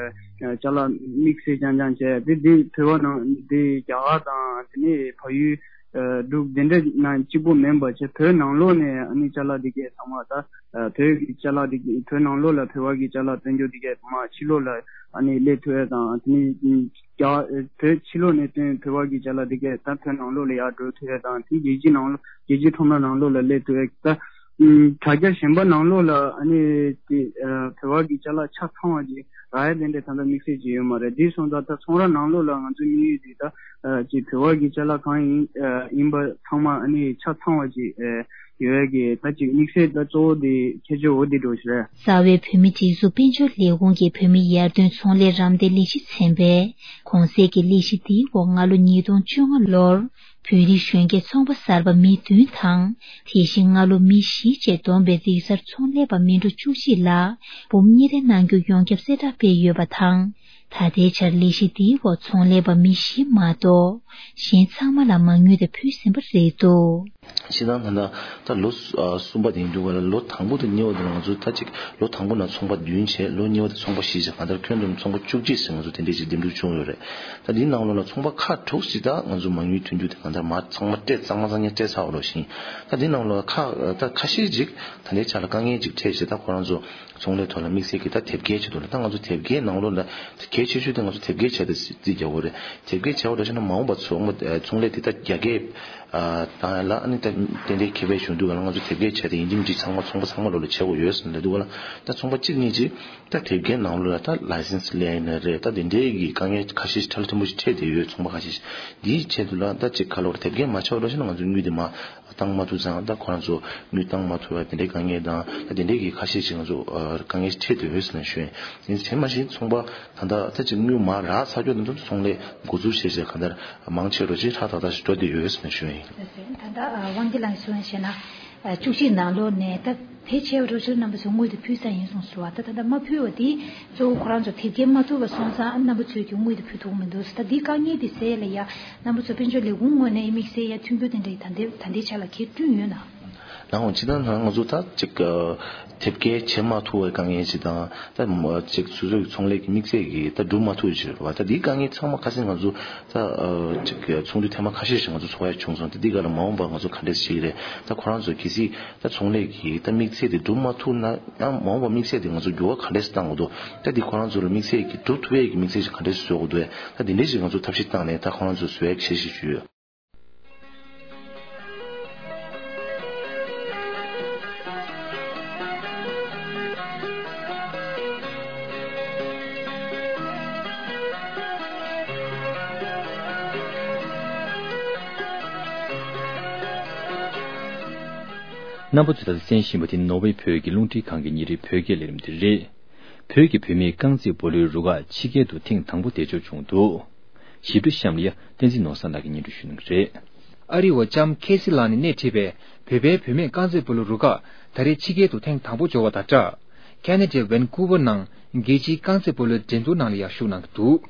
ཨ་ཅ་ལག་དམིགས་བསལ་རྐྱང་རྐྱང་བྱས་དེ་དེ་བོད་པ་ནང་དེ་རྒྱ་གར་དང་དེ་ནས་བལ་ཡུལ་འབྲུག་དེ་འདྲ་ནང་གཅིག་པོ་མིན་པ་བྱས་བོད་ནང་ལོགས་ནས་ཨ་ནི་ཅ་ལག་དེ་གས་ཚང་མ་ད་བོད་ཀྱི་ཅ་ལག་དེ་གས་བོད་ནང་ལོགས་ལ་བོད་པ་གི་ཅ་ལག་སྟོན་རྒྱུ་དེ་གས་མ་ཕྱི་ལོགས་ལ་ཨ་ནི་སླེབས་ཐུབ་ཡ་དང་དེ་ནས་རྒྱ་བོད་ཕྱི་ལོགས་ནས་བཏོན་བོད་པ་གི་ཅ་ལག་དེ་གས་ད་བོད་ནང་ལོགས་ལ་ཡར་འགྲོ་ཐུབ་ཡ་དང་དེ་རྒྱལ་སྤྱི་ནང་ལོགས་རྒྱལ་སྤྱི་ཁྲོམ་ར་ནང་ལོགས་ལ་སླེབས་ཐུབ་ཡ་ད་དྲ་རྒྱ་གཞན་པ་ནང་ལོགས་ལ་ཨ་ནི་དེ་བོད་པ་གི་ཅ་ལག་ཆ་ཚང་བ་ཅིག་རག་ཡ་དེ་འདྲའི་ད་ལྟ་དམིགས་བསལ་ཅིག་ཡོད་མ་རེད། དེ་སོང་ཙང་ད་ཚོང་ར་ནང་ལོགས་ལ་ང་ཚོའི་དམིགས་ཡུལ་དེ་ད་ཅིག་བོད་པ་གི་ཅ་ལག་གང་ཡིན་ཡིན་པ་ཚང་མ་ཨ་ནི་ཆ་ཚང་བ་ཅིག་ཡོད་ཡ་གི་ད་ཅིག་དམིགས་བསལ་ད་གཙོ་བོ་དེ་ཁྱད་ཆོས་འོ་དེ་འགྲོ་ཞིག་རེད། རྩ་བའི་བོད་མི་སྒྲིག་འཛུགས་དཔལ་འབྱོར་ལས་ཁུངས་ཀྱི་བོད་མི་ཡར་ཐོན་ཚོང་ལས་རམ་འདེགས་ལས་གཞི་ཚན་པས་གོང་གསལ་གྱི་ལས་གཞི་འདིའི་འོག་སྔ་ལོ་ཉིས་སྟོང་བཅོ་ལྔ་ལོར་བོད་རིགས་གཞོན་སྐྱེས་ཚོང་པ་གསར་པ་མི་བདུན་དང་། དེ་བཞིན་སྔ་ལོ་མི་བཞི་བཅས་བསྡོམས་པའི་རིག་གསར་ཚོང་ལས་པ་མི་འགྲོ་བཅུ་གཅིག་ལ་འབུམ་གཉིས་རེ་གནང་རྒྱུ་ཡོངས་ཁྱབ་གསལ་བསྒྲགས་སྤེལ་ཡོད་པ་དང་། ད་ལྟའི་ཆར་ལས་གཞི་འདིའི་འོག་ཚོང་ལས་པ་མི་བཞི་མ་གཏོགས་གཞན་ཚང་མ་ལ་མ་དངུལ་དེ་ཕུལ་ཟིན་པ་རེད་འདུག་སྤྱིར་བཏང་ད་ལྟ་ད་ལོ་གསུམ་པ་དེ་ཡིན་འདུག་ག་ལ། ལོ་དང་པོ་དང་གཉིས་པ་དེ་ལ་ང་ཚོ་ད་ཅིག་ལོ་དང་པོ་ན་ཚོང་པ་བདུན་བྱས། ལོ་གཉིས་པ་དེ་ཚོང་པ་བཞི་བྱས། གང་ལྟར་ཁྱོན་བསྡོམས་ཚོང་པ་བཅུ་གཅིག་ཟེར་ང་ཚོ་དེ་འདྲས་ཅིག་འདེམས་སྒྲུག་བྱུང་ཡོད་རེད། ད་འདིའི་ནང་ལོགས་ལ་ཚོང་པ་ཁག་དྲུག་ཅིག་ད་ང་ཚོ་མ་དངུལ་ཐོན་རྒྱུ་དེ་གང་ལྟར་མ་ཚང་མ་སྤྲད་གཙང་མ་གཙང་རྐྱང་སྤྲད་ཚར་བ་རོ་ཞིང་། ད་འདིའི་ནང་ལོགས་ལ་ཁག་ད་ཁ་ཤས་ཅིག་ད་ལྟའི་ཆ་ལ་དཀའ་ངལ་ཅིག་འཕྲད་བྱས། ད་ཁོ་རང་ཚོ་ཚོང་ལས་ཐོག་ལ་དམིགས་བསལ་གྱི་ད་དེབ་སྐྱེལ་བྱེད་དུ་ལ། ད་ང་ཚོ་དེབ་སྐྱེལ་ནང་ལོགས་ལ་གལ་ཆེ་ཤོས་དེ་ང་ཚོ་དེབ་སྐྱེལ་བྱས་ཏེ་རྩིས་རྒྱག་དགོས་རེད། དེབ་སྐྱེལ་བྱས་པ་འདྲ་བྱས་ན་མ་འོངས་པ་ཚོང་པ་ཚོང་ལས་དེ་ད་རྒྱ་སྐྱེད་བཏང་ཡ་ལ་ཨ་ནི་ད་ཏན་ཏན་ཁེ་ཕན་བྱུང་དུས་ག་ལ་ང་ཚོ་དེབ་སྐྱེལ་བྱས་ཏེ་ཡིན་གཅིག་མིན་གཅིག་ཚང་མ་ཚོང་པ་ཚང་མ་ལོགས་ལ་བྱེད་དགོས་ཡོད་ཟེར་ལབ་དུས་ག་ལ། ད་ཚོང་པ་གཅིག་གཉིས་ཅིག་ད་དེབ་སྐྱེལ་ནང་ལོགས་ལ་ད་ལའི་སེན་སི་ལེན་ཡིན་ན་རེད། ད་དེ་འདྲའི་གི་དཀའ་ངལ་ཁ་ཤས་ཕྲ་ལ་ཕྲན་བུ་ཞིག་འཕྲད་བསྡད་ཡོད། ཚོང་པ་ཁ་ཤས་ཤིག་འདིའི་ཆེད་དུ་ལ་ད་ཅིག་ག་ལོར་དེབ་སྐྱེལ་མ་བྱས་པ་འདྲ་བྱས་ན་ང་ཚོ་དངུལ་དེ་མ་བཏང་མ་ཐུབ་ཙང་། ད་ཁོ་རང་ཚོ་དངུལ་བཏང་མ་ཐུབ་པ་དེ་འདྲའི་དཀའ་ངལ་དང་། ད་དེ་འདྲའི་གི་ཁ་ཤས་ཤིག་ང་ཚོ་ཨ་དཀའ་ངལ་ཞིག་འཕྲད་བསྡད་ཡོད་ཟེར་ནས་ཞུ་ཡིན། དེ་མ་ཟད་ཚོང་པ་ད་ལྟ་ད་ཅིག་དངུལ་མ་རག་ཚར་རྒྱུ་དེ་ཚོ་ཚོང་ལས་འགོ་འཛུགས་བྱས་བྱས་གང་ལྟར་མང་ཆེ་རུ་ཅིག་ཧྲ་ཐག་ཐག་ཞིག་འགྲོ་བསྡད་ཡོད་ཟེར་ནས་ཞུ་ཡིན། ད་ལྟ་ཨ་དབང་སྐྱིད་ལགས་གསུངས་བྱས་ན་ཨ་བཅུ་གཅིག་ནང་ལོགས་ནས་ད་ཕལ་ཆེ་བ་རོ་ཆེ་རྣམ་པ་ཚོས་དངུལ་དེ་ཕུལ་ཚར་ཡིན་གསུངས་སོང་བ། ད་ད་ལྟ་མ་ཕུལ་བ་དེ་གཙོ་བོ་ཁོ་རང་ཚོ་དེབ་སྐྱེལ་མ་ཐུབ་པ་སོང་ཙང་རྣམ་པ་ཚོས་ཀྱི་དངུལ་དེ་ཕུལ་ཐུབ་མི་འདུག་ད་འདི་དཀའ་ངལ་དེ་སེལ་ཡ་ལ་ཡ་རྣམ་པ་ཚོ་དཔལ་འབྱོར་ལས་ཁུངས་ངོས་ནས་དམིགས་བསལ་ཡ་མཐུན་འགྱུར་དེ་འདྲ་ད་ལྟའི་ད་ལྟའི་ཆ་ལ་གལ་བསྐྲུན་ཡོད་ན། ལགས་འོང་། སྤྱིར་བཏང་ང་ཚོ་ད་ཅིག་དེབ་སྐྱེལ་བྱེད་མ་ཐུབ་པའི་དཀའ་ངལ་ཅིག་དང་། ད་ཅིག་སོ་སོའི་ཚོང་ལས་ཀྱི་དམིགས་བསལ་གྱི་ད་སྒྲུབ་མ་ཐུབ་ཅིག་རེད་བ། ད་འདིའི་དཀའ་ངལ་ཚང་མ་ཁ་སང་ང་ཚོ་ད་ཅིག་ཚོགས་འདུ་ཐེངས་མ་ཁ་ཤས་ཤིག་ང་ཚོ་ཚོགས་ཡ་བྱུང་སོང་། ད་འདི་ག་ལ་མ་འོངས་པར་ང་ཚོ་ག་འདྲས་ཞིག་རེད། ད་ཁོ་རང་ཚོ་གལ་སྲིད་ད་ཚོང་ལས་ཀྱི་ད་དམིགས་ཚད་དེ་སྒྲུབ་མ་ཐུབ་ན་ཡང་མ་འོངས་པར་དམིགས་ཚད་དེ་ང་ཚོ་འགྱུར་བ་ག་འདྲས་བཏང་དགོས་འདུག་ད་འདི་ཁོ་རང་ཚོ་ལ་དམིགས་ཚད་ཀྱི་སྒྲུབ་ཐུབ་ཡས་ཀྱི་དམིགས་ཚད་ཅིག་ག་འདྲས་བཟོ་དགོས་འདུག་ད་འདི་འདྲས་ཞིག་ང་ཚོ་ཐབས་ཤེས་བཏང་ནས་ད་ཁོ་རང་ཚོ་བཟོ་ཡ་གི་འཆར་གཞི་ཞིག་ཡོད། རྣམ་པ་ཚོས་ད་ལྟ་གསན་བཞིན་པ་དེ་ནོར་ཝེ་བོད་ཀྱི་རླུང་འཕྲིན་ཁང་གི་ཉིན་རེའི་བོད་སྐད་ལས་རིམ་དེ་རེད། བོད་ཀྱི་བུད་མེད་རྐང་རྩེད་སྤོ་ལོའི་རུ་ཁག་ཕྱི་རྒྱལ་དུ་ཐེངས་དང་པོ་འདས་འཇུག་བྱུང་འདུག་ཞིབ་ཕྲ་གཤམ་ལ་ཡ་བསྟན་འཛིན་ནོར་བཟང་ལགས་ཀྱིས་སྙན་སྒྲོན་ཞུ་གནང་གི་རེད། ཨ་རི་བ་ལྕམ་ཁེ་སི་ལགས་ནས་སྣེ་ཁྲིད་པའི་བོད་པའི་བུད་མེད་རྐང་རྩེད་སྤོ་ལོ་རུ་ཁག་ད་རེས་ཕྱི་རྒྱལ་དུ་ཐེངས་དང་པོ་འབྱོར་བ་དང་སྦྲགས། ཁེ་ན་ཌའི་ཝན་ཀུ་ཝར་ནང་རྒྱལ་སྤྱིའི་རྐང་རྩེད་སྤོ་ལོའི་འགྲན་བསྡུར་ནང་ལ་ཡང་ཞུགས་གནང་གི་འདུག།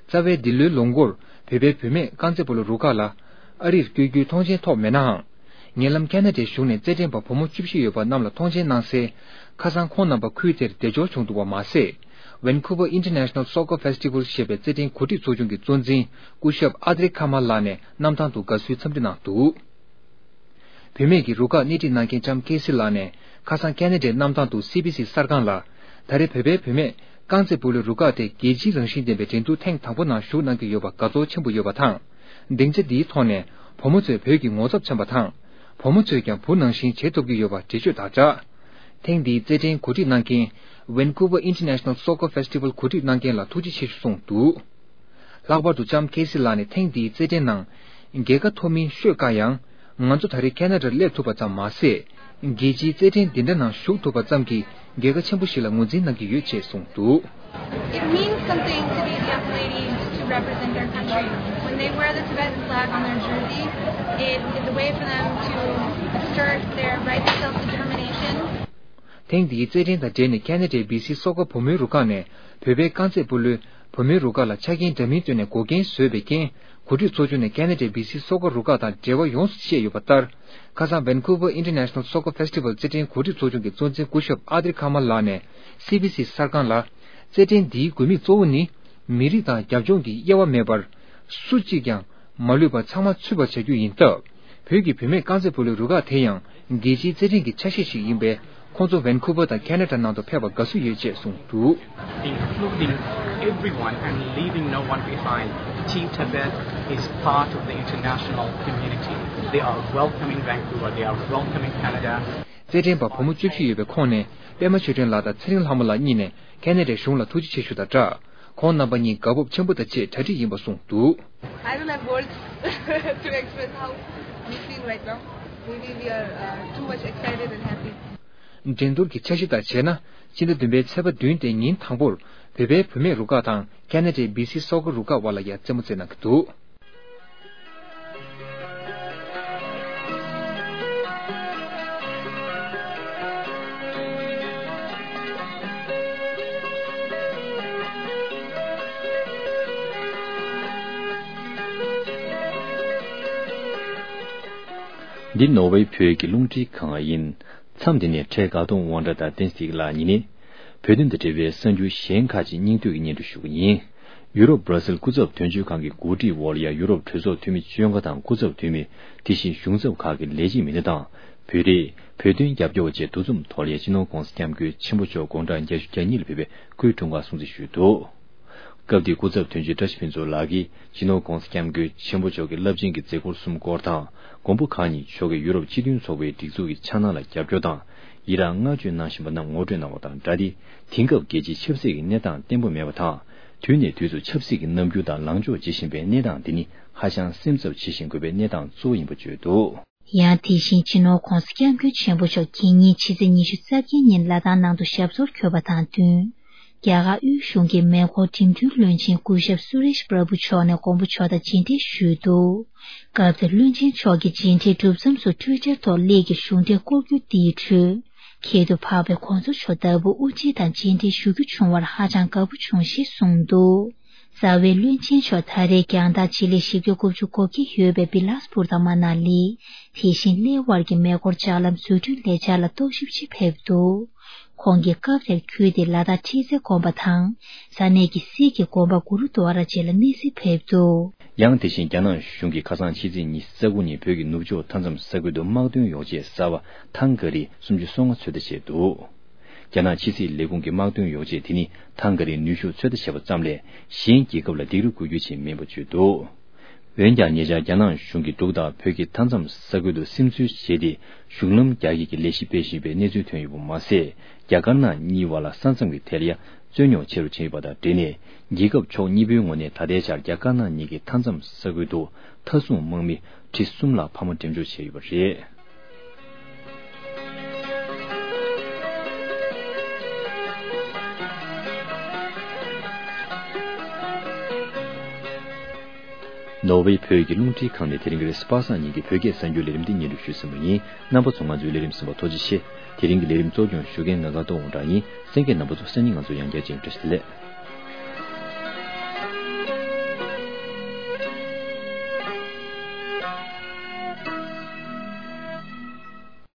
རྩ་བའི་འདི་ལོའི་ལོ་འགོར་བོད་པའི་བུད་མེད་རྐང་རྩེད་སྤོ་ལོ་རུ་ཁག་ལ་ཨ་རིར་བསྐྱོད་རྒྱུའི་མཐོང་མཆན་ཐོབ་མེད་ནའང་། ཉེ་ལམ་ཁེ་ན་ཌའི་གཞུང་ནས་རྩེད་འགྲན་པ་བུ་མོ་བཅུ་བཞི་ཡོད་པ་རྣམས་ལ་མཐོང་མཆན་གནང་སའི། ཁ་སང་ཁོང་རྣམ་པ་ཁུལ་དེར་བདེ་འབྱོར་བྱུང་འདུག་པ་མ་ཟད། Vancouver International Soccer Festival ཞེས་པའི་རྩེད་འགྲན་གོ་སྒྲིག་ཚོགས་ཆུང་གི་གཙོ་འཛིན་སྐུ་ཞབས་ཨ་དྲེ་ཁ་མ་ལགས་ནས་གནམ་ཐང་དུ་དགའ་བསུའི་འཚམས་འདྲི་གནང་འདུག། བུད་མེད་ཀྱི་རུ་ཁག་སྣེ་ཁྲིད་གནང་མཁན་ལྕམ་ཁེ་སི་ལགས་ནས་ཁ་སང་ཁེ་ན་ཌའི་གནམ་ཐང་དུ་སི་བི་སི་གསར་ཁང་ལ། ད་རེས་བོད་པའི་བུད་མེད་རྐང་རྩེད་སྤོ་ལོའི་རུ་ཁག་དེ་རྒྱལ་སྤྱིའི་རང་བཞིན་ལྡན་པའི་འགྲན་བསྡུར་ཐེངས་དང་པོ་ནང་ཞུགས་གནང་གི་ཡོད་པ་དགའ་ཚོར་ཆེན་པོ་ཡོད་པ་དང་། སྡིངས་ཆ་འདིའི་ཐོག་ནས་བུ་མོ་ཚོས་བོད་ཀྱི་ངོ་ཚབ་བྱས་པ་དང་། བུ་མོ་ཚོས་ཀྱང་བུ་ནང་བཞིན་བྱེད་ཐུབ་ཀྱི་ཡོད་པ་འགྲེལ་བརྗོད་དང་སྦྲགས། ཐེངས་འདིའི་རྩེད་འགྲན་གོ་སྒྲིག་གནང་མཁན། Vancouver International Soccer Festival གོ་སྒྲིག་གནང་མཁན་ལ་ཐུགས་རྗེ་ཆེ་ཞུ་གསུངས་འདུག། ལྷག་པར་དུ་ལྕམ་ཁེ་སི་ལགས་ནས་ཐེངས་འདིའི་རྩེད་འགྲན་ནང་། རྒྱལ་ཁ་ཐོབ་མིན་ཤོད་དཀའ་ཡང་། ང་ཚོ་ད་རེས་ཁེ་ན་ཌར་སླེབས་ཐུབ་པ་ཙམ་མ་ཟད། རྒྱལ་སྤྱིའི་རྩེད་འགྲན་འདི་འདྲ་ནང་ཞུགས་ཐུབ་པ་ཙམ་གྱིས་རྒྱལ་ཁ་ཆེན་པོ་ཞིག་ལ་ངོས་འཛིན་གནང་གི་ཡོད་ཅེས་གསུངས་འདུག། It means something to these young ladies to represent their country. When they wear the Tibetan flag on their jersey, it is a way for them to assert their right to self-determination. ཐེངས་འདིའི་རྩེད་འགྲན་དང་འབྲེལ་ནས་ཁེ་ན་ཌའི་བི་སི་སོག་པོ་བུ་མོའི་རུ་ཁག་ནས་བོད་པའི་རྐང་རྩེད་སྤོ་ལོའི་བུ་མོའི་རུ་ཁག་ལ་ཆ་རྐྱེན་འདྲ་མིན་བཏོན་ནས་འགོག་རྐྱེན་བཟོས་པའི་རྐྱེན། གོ་སྒྲིག་ཚོགས་ཆུང་ནས་ཁེ་ན་ཌའི་བི་སི་སོག་པོ་རུ་ཁག་དང་འབྲེལ་བ་ཡོངས་སུ་བཤད་ཡོད་པ་ལྟར། ཁ་སང་Vancouver International Soccer Festival རྩེད་འགྲན་གོ་སྒྲིག་ཚོགས་ཆུང་གི་གཙོ་འཛིན་སྐུ་ཞབས་ཨ་དྲེ་ཁ་མ་ལགས་ནས་སི་བི་སི་གསར་ཁང་ལ། རྩེད་འགྲན་འདིའི་དགོས་དམིགས་གཙོ་བོ་ནི། མི་རིགས་དང་རྒྱབ་ལྗོངས་ཀྱི་དབྱེ་བ་མེད་པར། སུ་གཅིག་ཀྱང་མ་ལུས་པར་ཚང་མ་ཚུད་པར་བྱ་རྒྱུ་ཡིན་སྟབས། བོད་ཀྱི་བུད་མེད་རྐང་རྩེད་སྤོ་ལོའི་རུ་ཁག་དེ་ཡང་རྒྱལ་སྤྱིའི་རྩེད་འགྲན་གྱི་ཆ་ཤས་ཤིག་ཡིན་པས། ཁོང་ཚོ་ཝན་ཀུ་ཝར་དང་ཁེ་ན་ཌ་ནང་དུ་ཕེབས་པར་དགའ་བསུ་ཡོད་ཅེས་གསུངས་འདུག། Including everyone and leaving no one behind. Team Tibet is part of the international community. They are welcoming Vancouver. They are welcoming Canada. རྩེད་འགྲན་པ་བུ་མོ་བཅུ་བཞི་ཡོད་པའི་ཁོངས་ནས་པད་མ་ཆོས་སྒྲོན་ལགས་དང་ཚེ་རིང་ལྷ་མོ་ལགས་གཉིས་ནས་ཁེ་ན་ཌའི་གཞུང་ལ་ཐུགས་རྗེ་ཆེ་ཞུ་དང་སྦྲགས། ཁོང་རྣམ་པ་གཉིས་དགའ་སྤོབས་ཆེན་པོ་དང་བཅས་གྲ་སྒྲིག་ཡིན་པ་གསུངས་འདུག། I don't have words to express how we feel right now. We feel we are uh, too much excited and happy. འགྲན་བསྡུར་གྱི་འཆར་གཞི་ལྟར་བྱས་ན། ཕྱི་ཟླ་བདུན་པའི་ཚེས་པ་བདུན་སྟེ་ཉིན་དང་པོར་བོད་པའི་བུད་མེད་རུ་ཁག་དང་ཁེ་ན་ཌའི་བི་སི་སོག་པོ་རུ་ཁག་དབར་ལ་ཡང་རྩེད་མོ་རྩེ་གནང་གི་འདུག། འདི་ནོར་ཝེ་བོད་ཀྱི་རླུང་འཕྲིན་ཁང་ཡིན། མཚམས་འདི་ནས་འཕྲལ་དགའ་གདོང་དབང་གྲགས་དང་བསྟན་འཛིན་ལགས་གཉིས་ནས། བོད་དོན་དང་འབྲེལ་བའི་གསར་འགྱུར་གཞན་ཁག་ཅིག་སྙིང་བསྡུས་ཀྱིས་སྙན་སྒྲོན་ཞུ་གི་ཡིན། ཡུ་རོབ་སྦྲ་སིལ་སྐུ་ཚབ་དོན་གཅོད་ཁང་གི་གོ་སྒྲིག་འོག་ལ་ཡང་ཡུ་རོབ་གྲོས་ཚོགས་འཐུས་མི་བཅོ་ལྔ་དང་སྐུ་ཚབ་འཐུས་མི། དེ་བཞིན་གཞུང་ཚབ་ཁག་གི་ལས་བྱེད་མི་སྣ་དང་། བོད་རིགས། བོད་དོན་རྒྱབ་སྐྱོར་བཅས་འདུ་འཛོམས་ཐོག་ལ་ཡང་སྤྱི་ནོར་༧གོང་ས་༧སྐྱབས་མགོན་ཆེན་པོ་མཆོག་དགུང་གྲངས་བརྒྱད་ཅུ་གྱ་གཉིས་ལ་ཕེབས་པའི་སྐུའི་འཁྲུངས་སྐར་སྲུང་བརྩི་ཞུས་འདུག། སྐབས་དེའི་སྐུ་ཚབ་དོན་གཅོད་བཀྲ་ཤིས་ཕུན་ཚོགས་ལགས་ཀྱིས་སྤྱི་ནོར་༧གོང་ས་༧སྐྱབས་མགོན་ཆེན་པོ་མཆོག་གི་རླབས་ཆེན་གྱི་མཛད་ཁོར་གསུམ་སྐོར་དང་། མགོན་པོ་གང་ཉིད་མཆོག་གིས་ཡུ་རོབ་སྤྱི་མཐུན་ཚོགས་པའི་སྒྲིག་འཛུགས་ཀྱི་འཆར་སྣང་ལ་རྒྱབ་སྐྱོར་དང་། ཡི་རངས་བསྔགས་བརྗོད་གནང་བཞིན་པ་རྣམས་ངོ་སྤྲོད་གནང་བ་དང་སྦྲགས་ཏེ། དེང་སྐབས་རྒྱལ་སྤྱིའི་ཆབ་སྲིད་ཀྱི་གནས་སྟངས་བརྟན་པོ་མེད་པ་དང་། དུས་ནས་དུས་སུ་ཆབ་སྲིད་ཀྱི་རྣམ་འགྱུར་དང་ལངས་ཕྱོགས་འབྱེད་བཞིན་པའི་གནས་སྟངས་འདི་ནི་ཧ་ཅང་སེམས་འཚབ་བྱེད་བཞིན་དགོས་པའི་གནས་སྟངས་གཙོ་བོ་ཡིན་པ་བརྗོད་འདུག། ཡང་དེ་བཞིན་སྤྱི་ནོར་༧གོང་ས་༧སྐྱབས་མགོན་ཆེན་པོ་མཆོག་དེ་ཉིན་ཕྱི་ཚེས་ཉི་ཤུ་རྩ་བརྒྱད་ཉིན་ལ་དྭགས་ནང་དུ་ཞབས་སོར་འཁོད་པ་དང་བསྟུན། རྒྱ་གར་དབུས་གཞུང་གིས་མེ་འཁོར་འགྲིམ་འགྲུལ་བློན་ཆེན་སྐུ་ཞབས་སུ་རེཤ་པྲ་བྷུ་མཆོག་ནས་མགོན་པོ་མཆོག་དང་མཇལ་འཕྲད་ཞུས་འདུག། སྐབས་དེར་བློན་ཆེན་མཆོག་གིས་མཇལ་འཕྲད་གྲུབ་མཚམས་སུ་ཊུའི་ཊར་ཐོག་སླེབས་ཀྱི་གཞུང་འབྲེལ་སྐོར་སྐྱོད་འདིའི་ཁྲོད། ཁྱད་དུ་འཕགས་པའི་གོང་ས་མཆོག་ལྟ་བུ་དབུ་ཁྲིད་དང་མཇལ་འཕྲད་ཞུ་རྒྱུ་བྱུང་བར་ཧ་ཅང་དགའ་པོ་བྱུང་ཞེས་གསུངས་འདུག། རྩ་བའི་བློན་ཆེན་མཆོག་ད་རེས་རྒྱང་ཐག་ཆེད་ལས་བཞི་བརྒྱ་དགུ་བཅུ་གོ་བརྒྱད་ཡོད་པའི་བི་ལཱས་པུར་དང་མ་ན་ལི། དེ་བཞིན་གླེ་ཝར་གྱི་མེ་འཁོར་ལྕགས་ལམ་བཟོ་སྐྲུན་ལས་འཆར་ལ་རྟོག་ཞིབ་ཆེད་ཕེབས་འདུག། ཁོང་གིས་སྐབས་དེར་ཁུལ་དེའི་ལ་དྭགས་ཁྲི་རྩེ་དགོན་པ་དང་། ས་གནས་ཀྱི་སིག་གི་དགོན་པ་གུ་རུ་དུ་ཝ་ར་བཅས་ལ་གནས་གཟིགས་ཕེབས་འདུག། ཡང་དེ་བཞིན་རྒྱ་ནག་གཞུང་གིས་ཁ་སང་ཕྱི་ཚེས་ཉི་ཤུ་རྩ་དགུ་ཉིན་བོད་ཀྱི་ནུབ་ཕྱོགས་མཐའ་མཚམས་ས་ཁུལ་དུ་དམག་དོན་ཡོ་བྱད་གསར་པ་ཐང་ག་རི་སུམ་ཅུ་སོ་ལྔ་ཚོད་ལྟ་བྱས་འདུག། རྒྱ་ནག་ཕྱི་སྲིད་ལས་ཁུངས་ཀྱི་དམག་དོན་ཡོ་བྱད་དེ་ནི་ཐང་ག་རིའི་ནུས་ཤུགས་ཚོད་ལྟ་བྱས་པ་ཙམ་ལས་གཞན་རྒྱལ་ཁབ་ལ་སྡིགས་ར་དགོས་རྒྱུ་ཞིག་མིན་པ་བརྗོད་འདུག། འོན་ཀྱང་ཉེ་ཆར་རྒྱ་ནག་གཞུང་གིས་འབྲུག་དང་བོད་ཀྱི་མཐའ་མཚམས་ས་ཁུལ་དུ་སིམ་འཛུལ་བྱས་ཏེ་གཞུང་ལམ་རྒྱ་སྐྱེད་ཀྱི་ལས་གཞི་སྤེལ་བཞིན་པའི་གནས་ཚུལ་ཐོན་ཡོད་པ་མ་ཟད། རྒྱ་དཀར་ནག་གཉིས་བར་ལ་ས་མཚམས་ཀྱི་ཐད་ལ་ཡང་རྩོད་རྙོག་ཆེ་རུ་ཕྱིན་ཡོད་པ་དང་འབྲེལ་ནས། རྒྱལ་ཁབ་ཕྱོགས་གཉིས་པོའི་ངོས་ནས་ད་ལྟའི་ཆར་རྒྱ་དཀར་ནག་གཉིས་ཀྱི་མཐའ་མཚམས་ས་ཁུལ་དུ་མཐའ་སྲུང་དམག་མི་ཁྲི་གསུམ་ལྷག་འཕར་མ་འགྲེམས་འཇོག་བྱས་ཡོད་པ་རེད། ནོར་ཝེ་བོད་ཀྱི་རླུང་འཕྲིན་ཁང་ནས་དེ་རིང་གི་རེས་གཟའ་པ་སངས་ཉིན་གྱི་བོད་སྐད་གསར་འགྱུར་ལས་རིམ་འདི་སྙན་སྒྲོན་ཞུས་ཟིན་པ་ཡིན། རྣམ་པ་ཚོ་ང་ཚོའི་ལས་རིམ་གསན་པར་ཐུགས་རྗེ་ཆེ། དེ་རིང་གི་ལས་རིམ་གཙོ་སྐྱོང་ཞུ་མཁན་ང་དགའ་ཐོག་དབང་གྲགས་ཡིན། གསན་མཁན་རྣམ་པ་ཚོ་སང་ཉིན་ང་ཚོ་ཡང་བསྐྱར་མཇལ་ཡོང་། བཀྲ་ཤིས་བདེ་ལེགས།